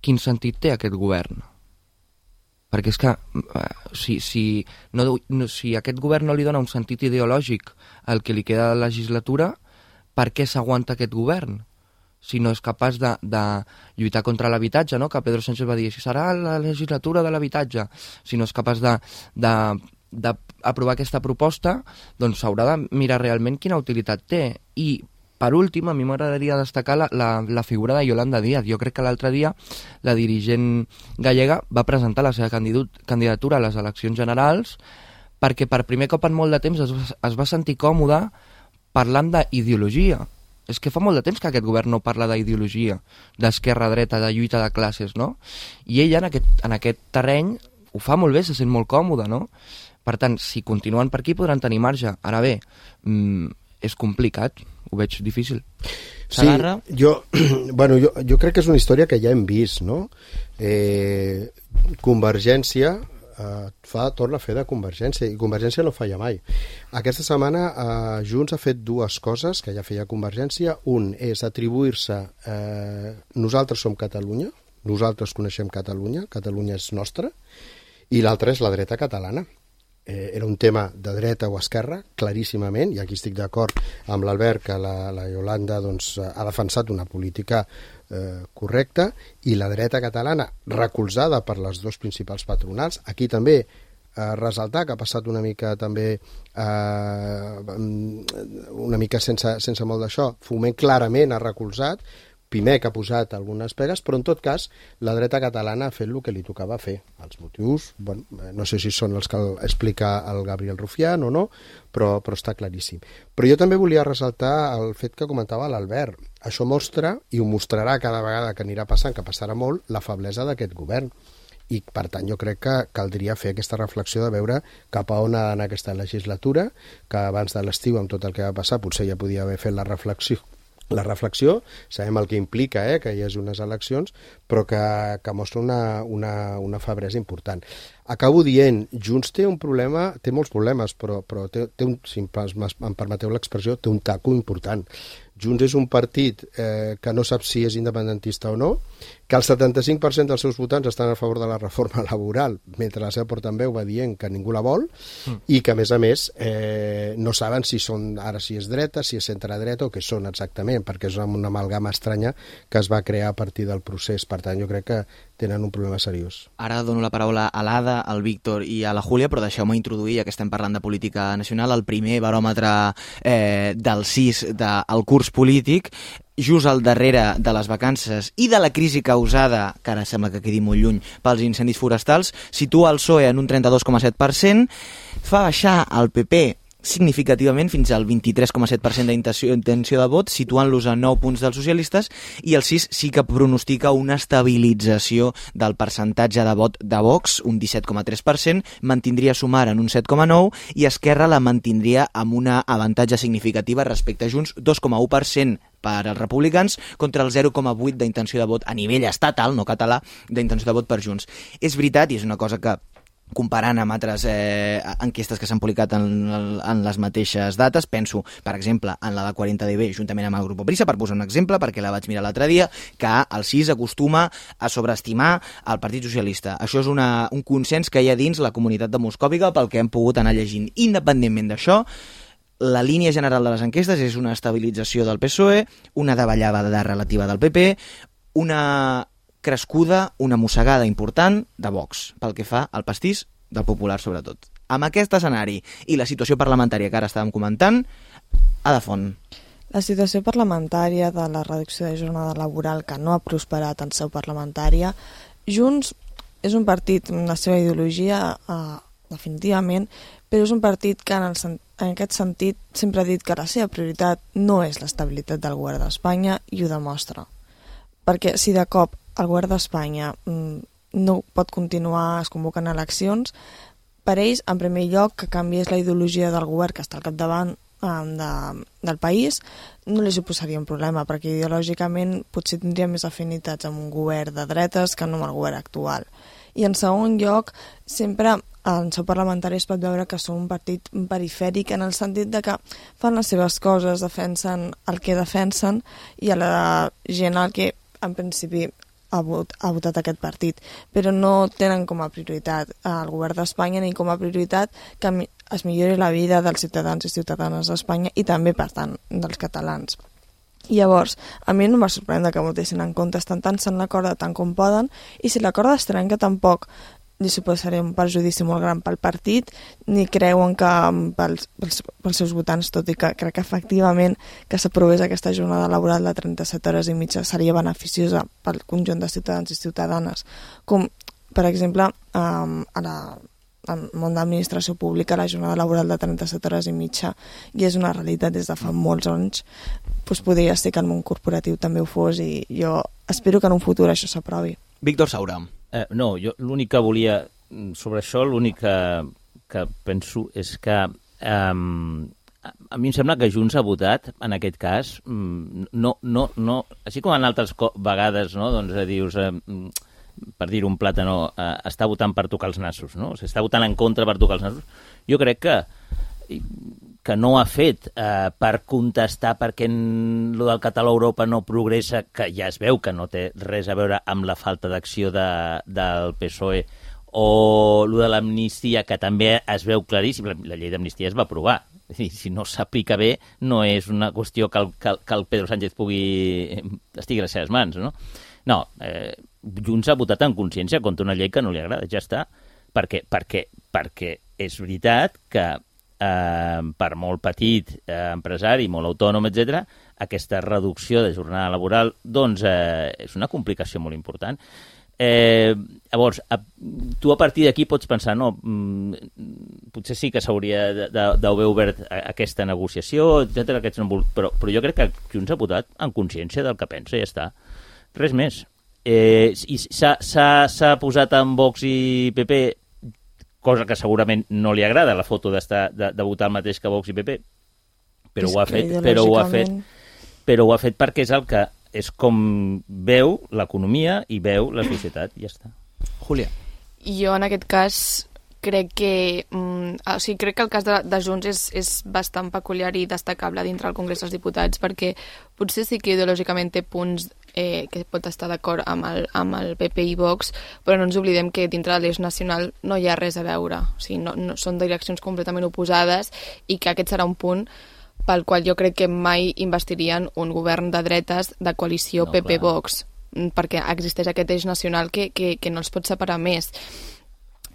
quin sentit té aquest govern? Perquè és que si, si, no, no, si aquest govern no li dona un sentit ideològic al que li queda de legislatura, per què s'aguanta aquest govern? Si no és capaç de, de lluitar contra l'habitatge, no? Que Pedro Sánchez va dir, si serà la legislatura de l'habitatge, si no és capaç d'aprovar aquesta proposta, doncs s'haurà de mirar realment quina utilitat té. I, per últim, a mi m'agradaria destacar la, la, la figura de Yolanda Díaz. Jo crec que l'altre dia la dirigent gallega va presentar la seva candidatura a les eleccions generals perquè per primer cop en molt de temps es, es va sentir còmode parlant d'ideologia. És que fa molt de temps que aquest govern no parla d'ideologia, d'esquerra-dreta, de lluita de classes, no? I ella en aquest, en aquest terreny ho fa molt bé, se sent molt còmode, no? Per tant, si continuen per aquí podran tenir marge. Ara bé, mmm, és complicat, ho veig difícil. Sí, jo, bueno, jo, jo crec que és una història que ja hem vist, no? Eh, Convergència Uh, fa, torna a fer de Convergència, i Convergència no falla mai. Aquesta setmana uh, Junts ha fet dues coses que ja feia Convergència. Un és atribuir-se uh, nosaltres som Catalunya, nosaltres coneixem Catalunya, Catalunya és nostra, i l'altre és la dreta catalana. Eh, era un tema de dreta o esquerra, claríssimament, i aquí estic d'acord amb l'Albert que la, la Iolanda doncs, ha defensat una política eh, correcta, i la dreta catalana, recolzada per les dos principals patronals, aquí també eh, ressaltar que ha passat una mica també eh, una mica sense, sense molt d'això, Foment clarament ha recolzat, Pimec ha posat algunes pegues, però en tot cas la dreta catalana ha fet el que li tocava fer. Els motius, bueno, no sé si són els que explica el Gabriel Rufián o no, però, però està claríssim. Però jo també volia ressaltar el fet que comentava l'Albert. Això mostra, i ho mostrarà cada vegada que anirà passant, que passarà molt, la feblesa d'aquest govern. I per tant jo crec que caldria fer aquesta reflexió de veure cap a on ha d'anar aquesta legislatura, que abans de l'estiu amb tot el que va passar potser ja podia haver fet la reflexió la reflexió, sabem el que implica eh, que hi hagi unes eleccions, però que, que mostra una, una, una feblesa important. Acabo dient, Junts té un problema, té molts problemes, però, però té, té un, si em permeteu l'expressió, té un taco important. Junts és un partit eh, que no sap si és independentista o no, que el setanta-cinc per cent dels seus votants estan a favor de la reforma laboral, mentre la seva portaveu va dient que ningú la vol, mm. i que, a més a més, eh, no saben si són ara si és dreta, si és centredreta o què són exactament, perquè és una amalgama estranya que es va crear a partir del procés. Per tant, jo crec que tenen un problema seriós. Ara dono la paraula a l'Ada, al Víctor i a la Júlia, però deixeu-me introduir, ja que estem parlant de política nacional, el primer baròmetre eh, del C I S del curs polític, just al darrere de les vacances i de la crisi causada, que ara sembla que quedi molt lluny, pels incendis forestals, situa el P S O E en un trenta-dos coma set per cent, fa baixar el P P significativament fins al vint-i-tres coma set per cent d'intenció de vot, situant-los a nou punts dels socialistes, i el C I S sí que pronostica una estabilització del percentatge de vot de Vox, un disset coma tres per cent, mantindria Sumar en un set coma nou per cent i Esquerra la mantindria amb una avantatge significativa respecte a Junts, dos coma u per cent per als republicans contra el zero coma vuit d'intenció de vot a nivell estatal, no català, d'intenció de vot per Junts. És veritat, i és una cosa que comparant amb altres eh, enquestes que s'han publicat en, en les mateixes dates, penso, per exemple, en la de quaranta D B, juntament amb el Grupo Prisa, per posar un exemple, perquè la vaig mirar l'altre dia, que el C I S acostuma a sobreestimar el Partit Socialista. Això és una, un consens que hi ha dins la comunitat de Moscòviga pel que hem pogut anar llegint. Independentment d'això, la línia general de les enquestes és una estabilització del P S O E, una davallada relativa del P P, una crescuda, una mossegada important de Vox, pel que fa al pastís del Popular, sobretot. Amb aquest escenari i la situació parlamentària que ara estàvem comentant, Ada Font. La situació parlamentària de la reducció de jornada laboral que no ha prosperat en seu parlamentària, Junts és un partit amb la seva ideologia eh, definitivament, però és un partit que en, el, en aquest sentit sempre ha dit que la seva prioritat no és l'estabilitat del govern d'Espanya i ho demostra. Perquè si de cop el govern d'Espanya no pot continuar, es convoquen eleccions, per ells, en primer lloc, que canviés la ideologia del govern que està al capdavant eh, de, del país, no li suposaria un problema, perquè ideològicament potser tindria més afinitats amb un govern de dretes que no amb el govern actual. I en segon lloc, sempre en seu parlamentari es pot veure que són un partit perifèric en el sentit de que fan les seves coses, defensen el que defensen i a la gent el que en principi ha, vot, ha votat aquest partit, però no tenen com a prioritat el govern d'Espanya ni com a prioritat que es millori la vida dels ciutadans i ciutadanes d'Espanya i també, per tant, dels catalans. I llavors, a mi no em va sorprendre que votessin en contra, estan tan en l'acord tant com poden, i si l'acord es trenca tampoc li suposaria un perjudici molt gran pel partit, ni creuen que pels, pels, pels seus votants, tot i que crec que efectivament que s'aprovés aquesta jornada laboral de trenta-set hores i mitja seria beneficiosa pel conjunt de ciutadans i ciutadanes, com per exemple um, a la al món d'administració pública la jornada laboral de trenta-set hores i mitja i és una realitat des de fa molts anys, doncs podria ser que el món corporatiu també ho fos i jo espero que en un futur això s'aprovi. Víctor Saura. Eh, no, jo l'únic que volia sobre això, l'únic que, que penso és que eh, a mi em sembla que Junts ha votat, en aquest cas, no, no, no, així com en altres vegades, no, doncs dius, eh, per dir un plàtano, eh, està votant per tocar els nassos, no? O sigui, està votant en contra per tocar els nassos. Jo crec que que no ha fet eh, per contestar perquè el del català a Europa no progressa, que ja es veu que no té res a veure amb la falta d'acció de, del P S O E o el de l'amnistia, que també es veu claríssim, la, la llei d'amnistia es va aprovar. És dir, si no s'aplica bé, no és una qüestió que el, que, que el Pedro Sánchez pugui estigui a les seves mans, no? No, eh, Junts ha votat en consciència contra una llei que no li agrada, ja està. Perquè, perquè, perquè és veritat que eh, per molt petit eh, empresari, molt autònom, etcètera, aquesta reducció de jornada laboral doncs, eh, és una complicació molt important. Eh, llavors, a, tu a partir d'aquí pots pensar, no, mm, potser sí que s'hauria d'haver obert aquesta negociació, etcètera, aquests no, però, però jo crec que Junts ha votat en consciència del que pensa i ja està. Res més. Eh, i s'ha posat en Vox i P P, cosa que segurament no li agrada, la foto d'estar de, de votar el mateix que Vox i P P, però ho ha fet, però ho ha fet, però ho ha fet perquè és el que és com veu l'economia i veu la societat, i ja està. Júlia. Jo, en aquest cas, crec que, mm, o sigui, crec que el cas de, de Junts és, és bastant peculiar i destacable dintre del Congrés dels Diputats, perquè potser sí que ideològicament té punts eh, que pot estar d'acord amb, el, amb el P P i Vox, però no ens oblidem que dintre de l'eix nacional no hi ha res a veure. O sigui, no, no, són direccions completament oposades i que aquest serà un punt pel qual jo crec que mai investirien un govern de dretes de coalició no, P P-Vox, perquè existeix aquest eix nacional que, que, que no els pot separar més.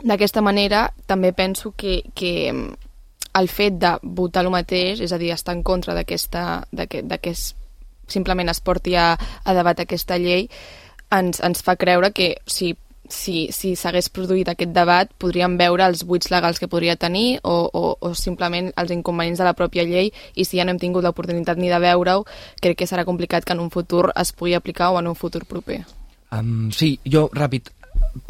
D'aquesta manera, també penso que, que el fet de votar el mateix, és a dir, estar en contra d'aquesta, que simplement es porti a, a debat aquesta llei, ens, ens fa creure que si si si s'hagués produït aquest debat podríem veure els buits legals que podria tenir o, o, o simplement els inconvenients de la pròpia llei, i si ja no hem tingut l'oportunitat ni de veure-ho, crec que serà complicat que en un futur es pugui aplicar o en un futur proper. Um, sí, jo, ràpid,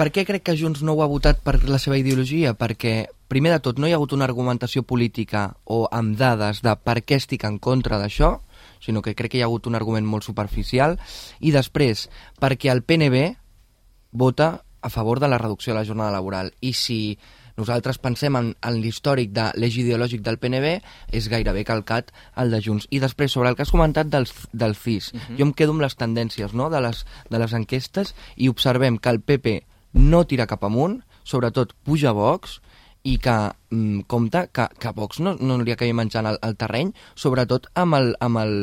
per què crec que Junts no ho ha votat per la seva ideologia? Perquè, primer de tot, no hi ha hagut una argumentació política o amb dades de per què estic en contra d'això, sinó que crec que hi ha hagut un argument molt superficial, i després, perquè el P N B vota a favor de la reducció de la jornada laboral. I si nosaltres pensem en, en l'històric de l'eix ideològic del P N B, és gairebé calcat el de Junts. I després, sobre el que has comentat del, del C I S, uh-huh. jo em quedo amb les tendències, no?, de, les, de les enquestes, i observem que el P P no tira cap amunt, sobretot puja Vox, i que mm, compta que, que Vox no, no li acabi menjant el, el terreny, sobretot amb, el, amb, el,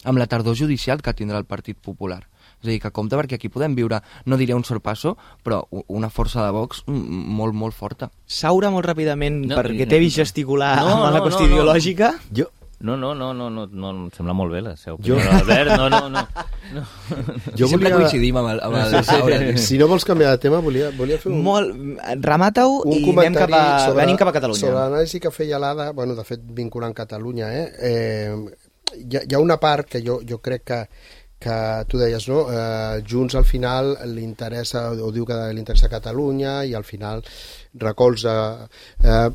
amb la tardor judicial que tindrà el Partit Popular. És a dir, que compte, perquè aquí podem viure, no diré un sorpasso, però una força de Vox molt, molt forta. Saura molt ràpidament, no, perquè t'he vist gesticular no, amb no, la qüestió no, no. ideològica. Jo... No, no, no, no, no, no, em sembla molt bé la seva opinió. Jo... Albert, no, no, no. no. Jo Sempre volia... coincidim amb el... Amb el... Sí, sí. Si no vols canviar de tema, volia, volia fer un... Molt... Remata-ho i anem cap a... sobre, venim cap a Catalunya. Sobre l'anàlisi que feia l'Ada, bueno, de fet, vinculant Catalunya, eh? eh hi, ha, hi ha una part que jo, jo crec que que tu deies, no? Eh, Junts al final li interessa, o diu que li interessa Catalunya, i al final recolza... Eh,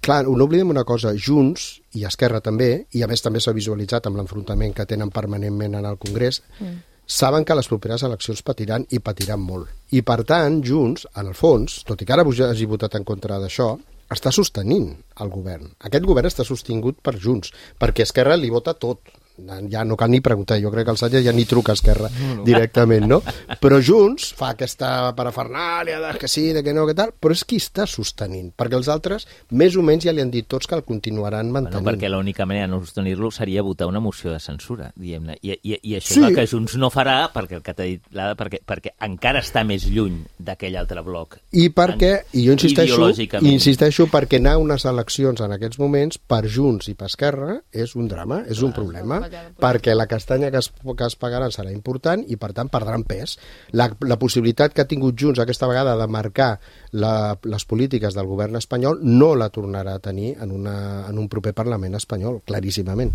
clar, no oblidem una cosa, Junts i Esquerra també, i a més també s'ha visualitzat amb l'enfrontament que tenen permanentment en el Congrés, mm. saben que les properes eleccions patiran i patiran molt. I per tant, Junts, en el fons, tot i que ara hagi votat en contra d'això, està sostenint el govern. Aquest govern està sostingut per Junts, perquè Esquerra li vota tot. Ja no cal ni preguntar, jo crec que el Sánchez ja ni truca a Esquerra no, no. directament, no? Però Junts fa aquesta parafernàlia de que sí, de que no, que tal, però és qui està sostenint, perquè els altres més o menys ja li han dit tots que el continuaran mantenint. Bueno, perquè l'única manera de no sostenir-lo seria votar una moció de censura, diguem-ne, i, i, i això sí. és el que Junts no farà, perquè el que t'ha dit l'Ada, perquè, perquè encara està més lluny d'aquell altre bloc. I perquè, i jo insisteixo, insisteixo perquè anar a unes eleccions en aquests moments, per Junts i per Esquerra, és un drama, és un problema, perquè la castanya que es, que es pagaran serà important i per tant perdran pes. La, la possibilitat que ha tingut Junts aquesta vegada de marcar la, les polítiques del govern espanyol no la tornarà a tenir en, una, en un proper Parlament espanyol, claríssimament.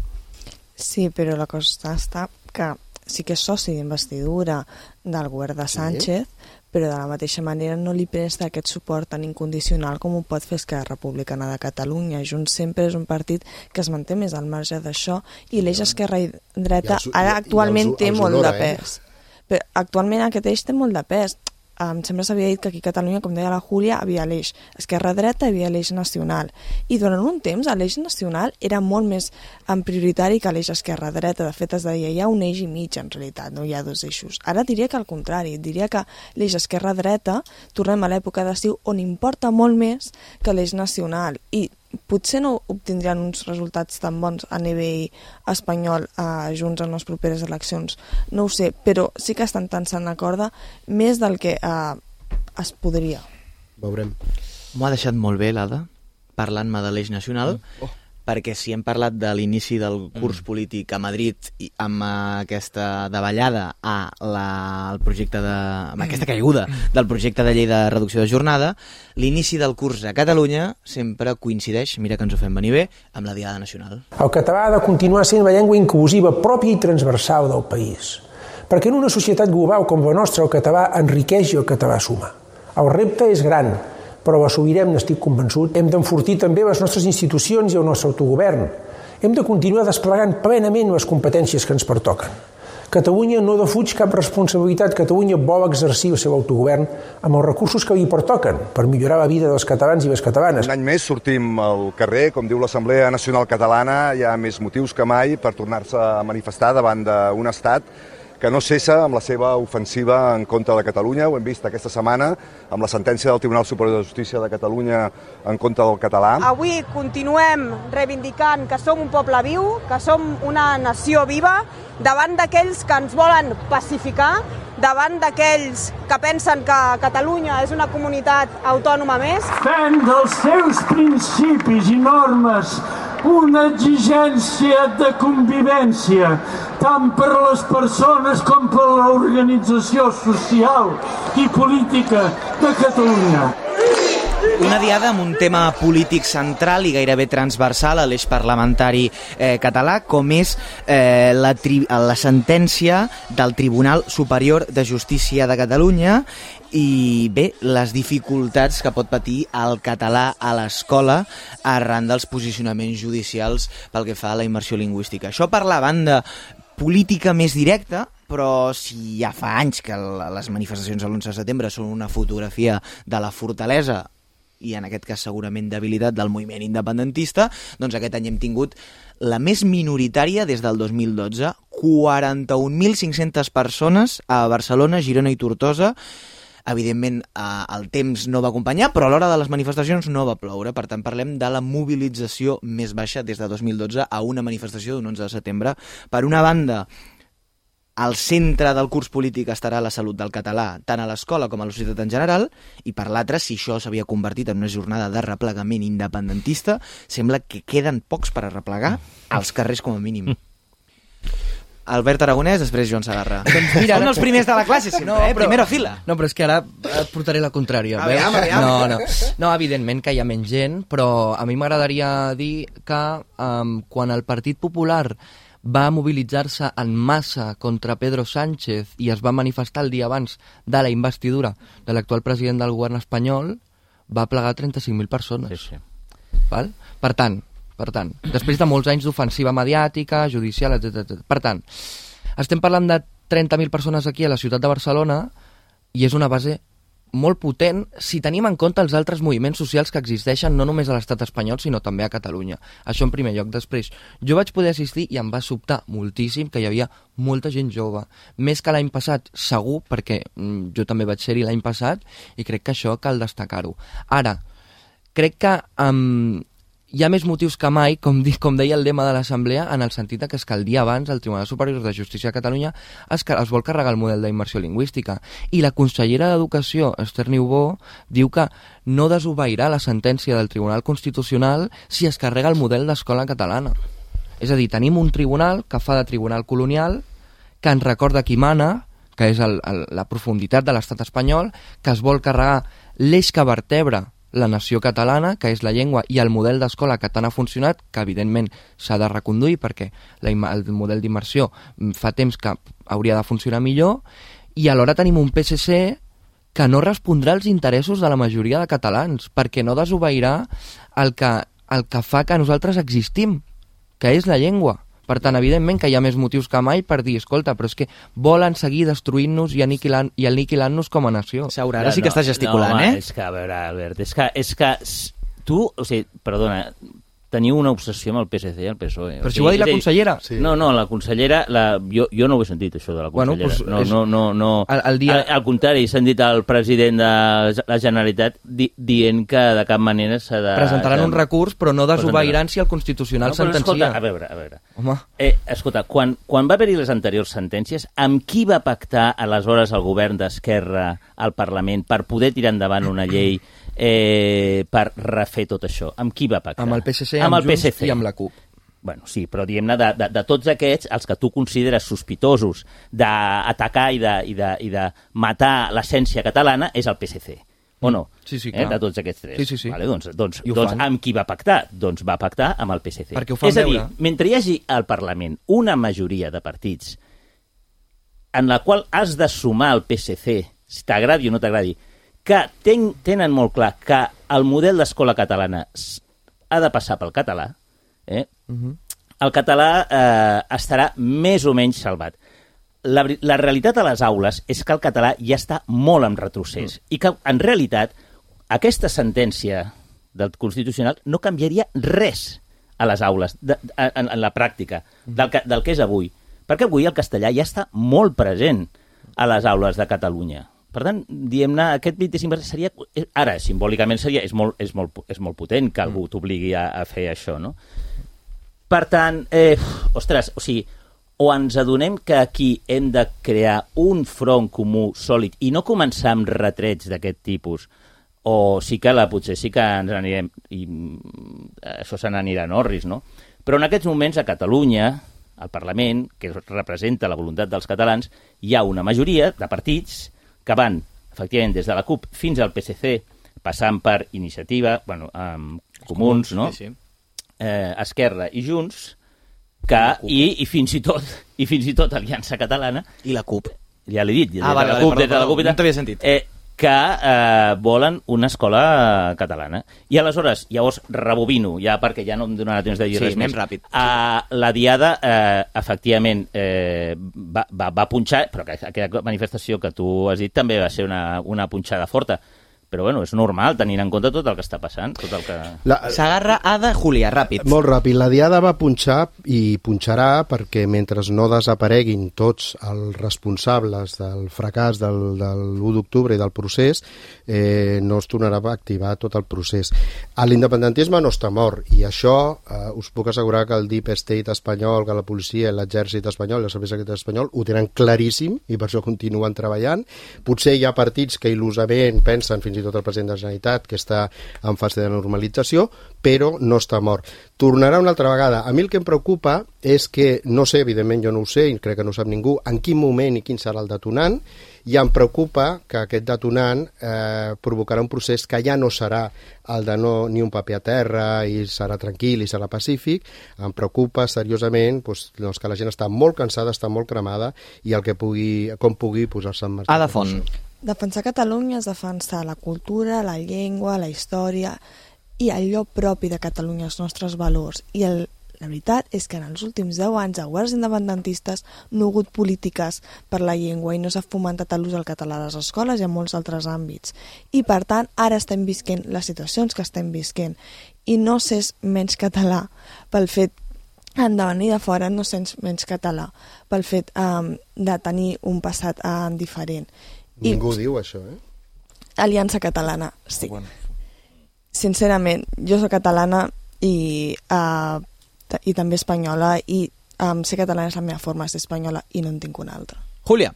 Sí, però la cosa està que sí que és soci d'investidura del govern de Sánchez, sí. però de la mateixa manera no li presta aquest suport tan incondicional com ho pot fer Esquerra Republicana de Catalunya. Junts sempre és un partit que es manté més al marge d'això, i l'eix esquerra i dreta ara actualment té molt de pes. Però actualment aquest eix té molt de pes. em sembla que s'havia dit que aquí a Catalunya, com deia la Júlia, havia l'eix esquerra-dreta i havia l'eix nacional. I durant un temps l'eix nacional era molt més en prioritari que l'eix esquerra-dreta. De fet, es deia, hi ha un eix i mig, en realitat, no hi ha dos eixos. Ara diria que al contrari, diria que l'eix esquerra-dreta, tornem a l'època d'estiu, on importa molt més que l'eix nacional. I potser no obtindran uns resultats tan bons a nivell espanyol eh, junts en les properes eleccions, no ho sé, però sí que estan tensant la corda més del que eh, es podria. Veurem. M'ho ha deixat molt bé, l'Ada, parlant-me de l'eix nacional, oh. perquè si hem parlat de l'inici del curs mm. polític a Madrid i amb aquesta davallada a la, el projecte de, amb aquesta caiguda del projecte de llei de reducció de jornada, l'inici del curs a Catalunya sempre coincideix, mira que ens ho fem venir bé, amb la Diada Nacional. El català ha de continuar sent la llengua inclusiva pròpia i transversal del país, perquè en una societat global com la nostra el català enriqueix i el català suma. El repte és gran, però l'assolirem, n'estic convençut. Hem d'enfortir també les nostres institucions i el nostre autogovern. Hem de continuar desplegant plenament les competències que ens pertoquen. Catalunya no defuig cap responsabilitat. Catalunya vol exercir el seu autogovern amb els recursos que li pertoquen per millorar la vida dels catalans i les catalanes. Un any més sortim al carrer, com diu l'Assemblea Nacional Catalana, hi ha més motius que mai per tornar-se a manifestar davant d'un estat que no cessa amb la seva ofensiva en contra de Catalunya. Ho hem vist aquesta setmana amb la sentència del Tribunal Superior de Justícia de Catalunya en contra del català. Avui continuem reivindicant que som un poble viu, que som una nació viva, davant d'aquells que ens volen pacificar, davant d'aquells que pensen que Catalunya és una comunitat autònoma més. Fent dels seus principis i normes una exigència de convivència, tant per les persones com per l'organització social i política de Catalunya. Una diada amb un tema polític central i gairebé transversal a l'eix parlamentari eh, català, com és eh, la, tri la sentència del Tribunal Superior de Justícia de Catalunya i, bé, les dificultats que pot patir el català a l'escola arran dels posicionaments judicials pel que fa a la immersió lingüística. Això per la banda política més directa, però si ja fa anys que les manifestacions de l'onze de setembre són una fotografia de la fortalesa i en aquest cas segurament debilitat del moviment independentista, doncs aquest any hem tingut la més minoritària des del dos mil dotze, quaranta-un mil cinc-centes persones a Barcelona, Girona i Tortosa. Evidentment el temps no va acompanyar, però a l'hora de les manifestacions no va ploure, per tant parlem de la mobilització més baixa des de dos mil dotze a una manifestació d'un onze de setembre. Per una banda, al centre del curs polític estarà la salut del català, tant a l'escola com a la societat en general, i per l'altra, si això s'havia convertit en una jornada de replegament independentista, sembla que queden pocs per arreplegar als carrers com a mínim. Albert Aragonès, després Joan Sagarra. Doncs mira, Són els primers de la classe sempre, no, eh? Però, primera fila. No, però és que ara et portaré la contrària. Aviam, aviam. No, no. no, evidentment que hi ha menys gent, però a mi m'agradaria dir que um, quan el Partit Popular va mobilitzar-se en massa contra Pedro Sánchez i es va manifestar el dia abans de la investidura de l'actual president del govern espanyol, va plegar trenta-cinc mil persones. Sí, sí. Val? Per tant, per tant, després de molts anys d'ofensiva mediàtica, judicial, etcètera. Per tant, estem parlant de trenta mil persones aquí a la ciutat de Barcelona i és una base molt potent si tenim en compte els altres moviments socials que existeixen no només a l'estat espanyol sinó també a Catalunya. Això en primer lloc. Després, jo vaig poder assistir i em va sobtar moltíssim que hi havia molta gent jove. Més que l'any passat, segur, perquè mm, jo també vaig ser-hi l'any passat i crec que això cal destacar-ho. Ara, crec que um, hi ha més motius que mai, com, di, com deia el lema de l'Assemblea, en el sentit que és que el dia abans el Tribunal Superior de Justícia de Catalunya es, es vol carregar el model d'immersió lingüística. I la consellera d'Educació, Esther Niubó, diu que no desobeirà la sentència del Tribunal Constitucional si es carrega el model d'escola catalana. És a dir, tenim un tribunal que fa de tribunal colonial, que ens recorda qui mana, que és el, el, la profunditat de l'estat espanyol, que es vol carregar l'eix que vertebra la nació catalana, que és la llengua, i el model d'escola que tant ha funcionat, que evidentment s'ha de reconduir perquè la, el model d'immersió fa temps que hauria de funcionar millor, i alhora tenim un P S C que no respondrà als interessos de la majoria de catalans, perquè no desobeirà el que, el que fa que nosaltres existim, que és la llengua. Per tant, evidentment que hi ha més motius que mai per dir, escolta, però és que volen seguir destruint-nos i aniquilant, i aniquilant-nos com a nació. Saura, ara sí que estàs gesticulant, no, home, eh? És que, a veure, Albert, és que, és que tu, o sigui, perdona, teniu una obsessió amb el P S C i el P S O E. Però si ho ha dit la consellera. Sí. No, no, la consellera, la, jo, jo no ho he sentit, això de la consellera. Bueno, pues no, és... no, no, no. El, el dia... al, al contrari, s'ha dit al president de la Generalitat di, dient que de cap manera s'ha de... Presentaran un recurs, però no desobeiran si el Constitucional no, sentencia. Escolta, a veure, a veure. Home. Eh, escolta, quan, quan va haver-hi les anteriors sentències, amb qui va pactar aleshores el govern d'Esquerra al Parlament per poder tirar endavant una llei eh, per refer tot això? Amb qui va pactar? Amb el P S C, amb, amb el P S C i amb la CUP. Bueno, sí, però diguem-ne, de, de, de tots aquests, els que tu consideres sospitosos d'atacar i de, i, de, i de matar l'essència catalana és el P S C, o no? Sí, sí, eh, clar. de tots aquests tres. Sí, sí, sí. Vale, doncs, doncs, I ho doncs fan. amb qui va pactar? Doncs va pactar amb el P S C. Perquè ho fan és a dir, veure. mentre hi hagi al Parlament una majoria de partits en la qual has de sumar el P S C, si t'agradi o no t'agradi, que ten, tenen molt clar que el model d'escola catalana ha de passar pel català, eh? Uh-huh. el català eh, estarà més o menys salvat. La, la realitat a les aules és que el català ja està molt en retrocés mm. i que, en realitat, aquesta sentència del Constitucional no canviaria res a les aules, de, de, en, en la pràctica, del que, del que és avui. Perquè avui el castellà ja està molt present a les aules de Catalunya. Per tant, diguem-ne, aquest vint-i-cinc per cent seria... Ara, simbòlicament, seria, és, molt, és, molt, és molt potent que algú t'obligui a, a fer això, no? Per tant, eh, ostres, o sigui, o ens adonem que aquí hem de crear un front comú sòlid i no començar amb retrets d'aquest tipus, o sí que la, potser sí que ens anirem, i això se n'anirà a Norris, no? Però en aquests moments a Catalunya, al Parlament, que representa la voluntat dels catalans, hi ha una majoria de partits que van, efectivament, des de la CUP fins al P S C, passant per Iniciativa, bueno, amb Comuns, no? Sí, sí. Eh, Esquerra i Junts, que, i, i fins i tot i fins i tot Aliança Catalana i la CUP, ja l'he dit, ah, des vale, de la vale, CUP, perdó, des de la CUP, perdó, no t'havia sentit. eh, que eh, volen una escola catalana. I aleshores, llavors, rebobino, ja perquè ja no em donarà temps de dir sí, res més. ràpid. Uh, la Diada, eh, efectivament, eh, va, va, va punxar, però que aquella manifestació que tu has dit també va ser una, una punxada forta. Però, bueno, és normal, tenint en compte tot el que està passant, tot el que... La... Sagarra, Ada, Julià, ràpid. Molt ràpid. La Diada va punxar i punxarà perquè mentre no desapareguin tots els responsables del fracàs del, del l'u d'octubre i del procés, eh, no es tornarà a activar tot el procés. L'independentisme no està mort i això eh, us puc assegurar que el Deep State espanyol, que la policia, l'exèrcit espanyol i el servei secret espanyol ho tenen claríssim i per això continuen treballant. Potser hi ha partits que il·lusament pensen fins i tot el president de la Generalitat, que està en fase de normalització, però no està mort. Tornarà una altra vegada. A mi el que em preocupa és que, no sé, evidentment jo no ho sé, i crec que no ho sap ningú, en quin moment i quin serà el detonant, i em preocupa que aquest detonant eh, provocarà un procés que ja no serà el de no, ni un paper a terra i serà tranquil i serà pacífic. Em preocupa seriosament doncs, doncs que la gent està molt cansada, està molt cremada i el que pugui, com pugui posar-se en marxa. Ada Font. Defensar Catalunya és defensar la cultura, la llengua, la història i allò propi de Catalunya, els nostres valors. I el, la veritat és que en els últims deu anys els governs independentistes no ha hagut polítiques per la llengua i no s'ha fomentat l'ús del català a les escoles i en molts altres àmbits. I per tant, ara estem visquent les situacions que estem visquent. I no sents menys català pel fet de venir de fora, no sents menys català pel fet um, de tenir un passat um, diferent. Ningú I, diu això, eh? Aliança Catalana, sí. Bueno. Sincerament, jo soc catalana i, uh, i també espanyola i um, ser catalana és la meva forma de ser espanyola i no en tinc una altra. Júlia.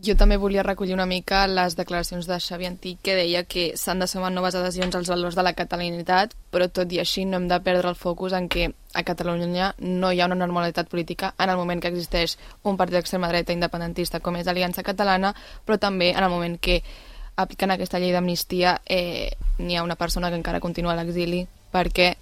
Jo també volia recollir una mica les declaracions de Xavi Antich, que deia que s'han de sumar noves adhesions als valors de la catalanitat, però tot i així no hem de perdre el focus en que a Catalunya no hi ha una normalitat política en el moment que existeix un partit d'extrema dreta independentista com és Aliança Catalana, però també en el moment que aplicant aquesta llei d'amnistia eh, n'hi ha una persona que encara continua a l'exili perquè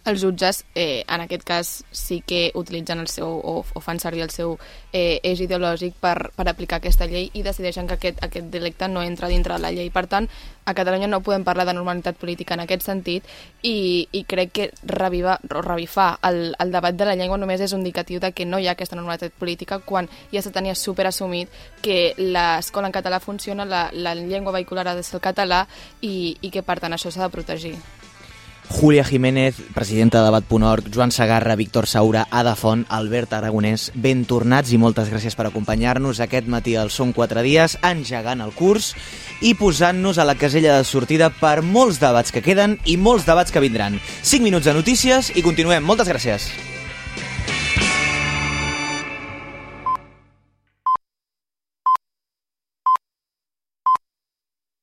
els jutges, eh, en aquest cas, sí que utilitzen el seu, o, o fan servir el seu eh, eix ideològic per, per aplicar aquesta llei i decideixen que aquest, aquest delicte no entra dintre de la llei. Per tant, a Catalunya no podem parlar de normalitat política en aquest sentit i, i crec que revivar, o revifar el, el debat de la llengua només és un indicatiu de que no hi ha aquesta normalitat política quan ja se tenia superassumit que l'escola en català funciona, la, la llengua vehicular ha de ser el català i, i que per tant això s'ha de protegir. Júlia Jiménez, presidenta de debat punt org, Joan Segarra, Víctor Saura, Ada Font, Albert Aragonès, ben tornats i moltes gràcies per acompanyar-nos aquest matí al Són quatre dies, engegant el curs i posant-nos a la casella de sortida per molts debats que queden i molts debats que vindran. cinc minuts de notícies i continuem. Moltes gràcies.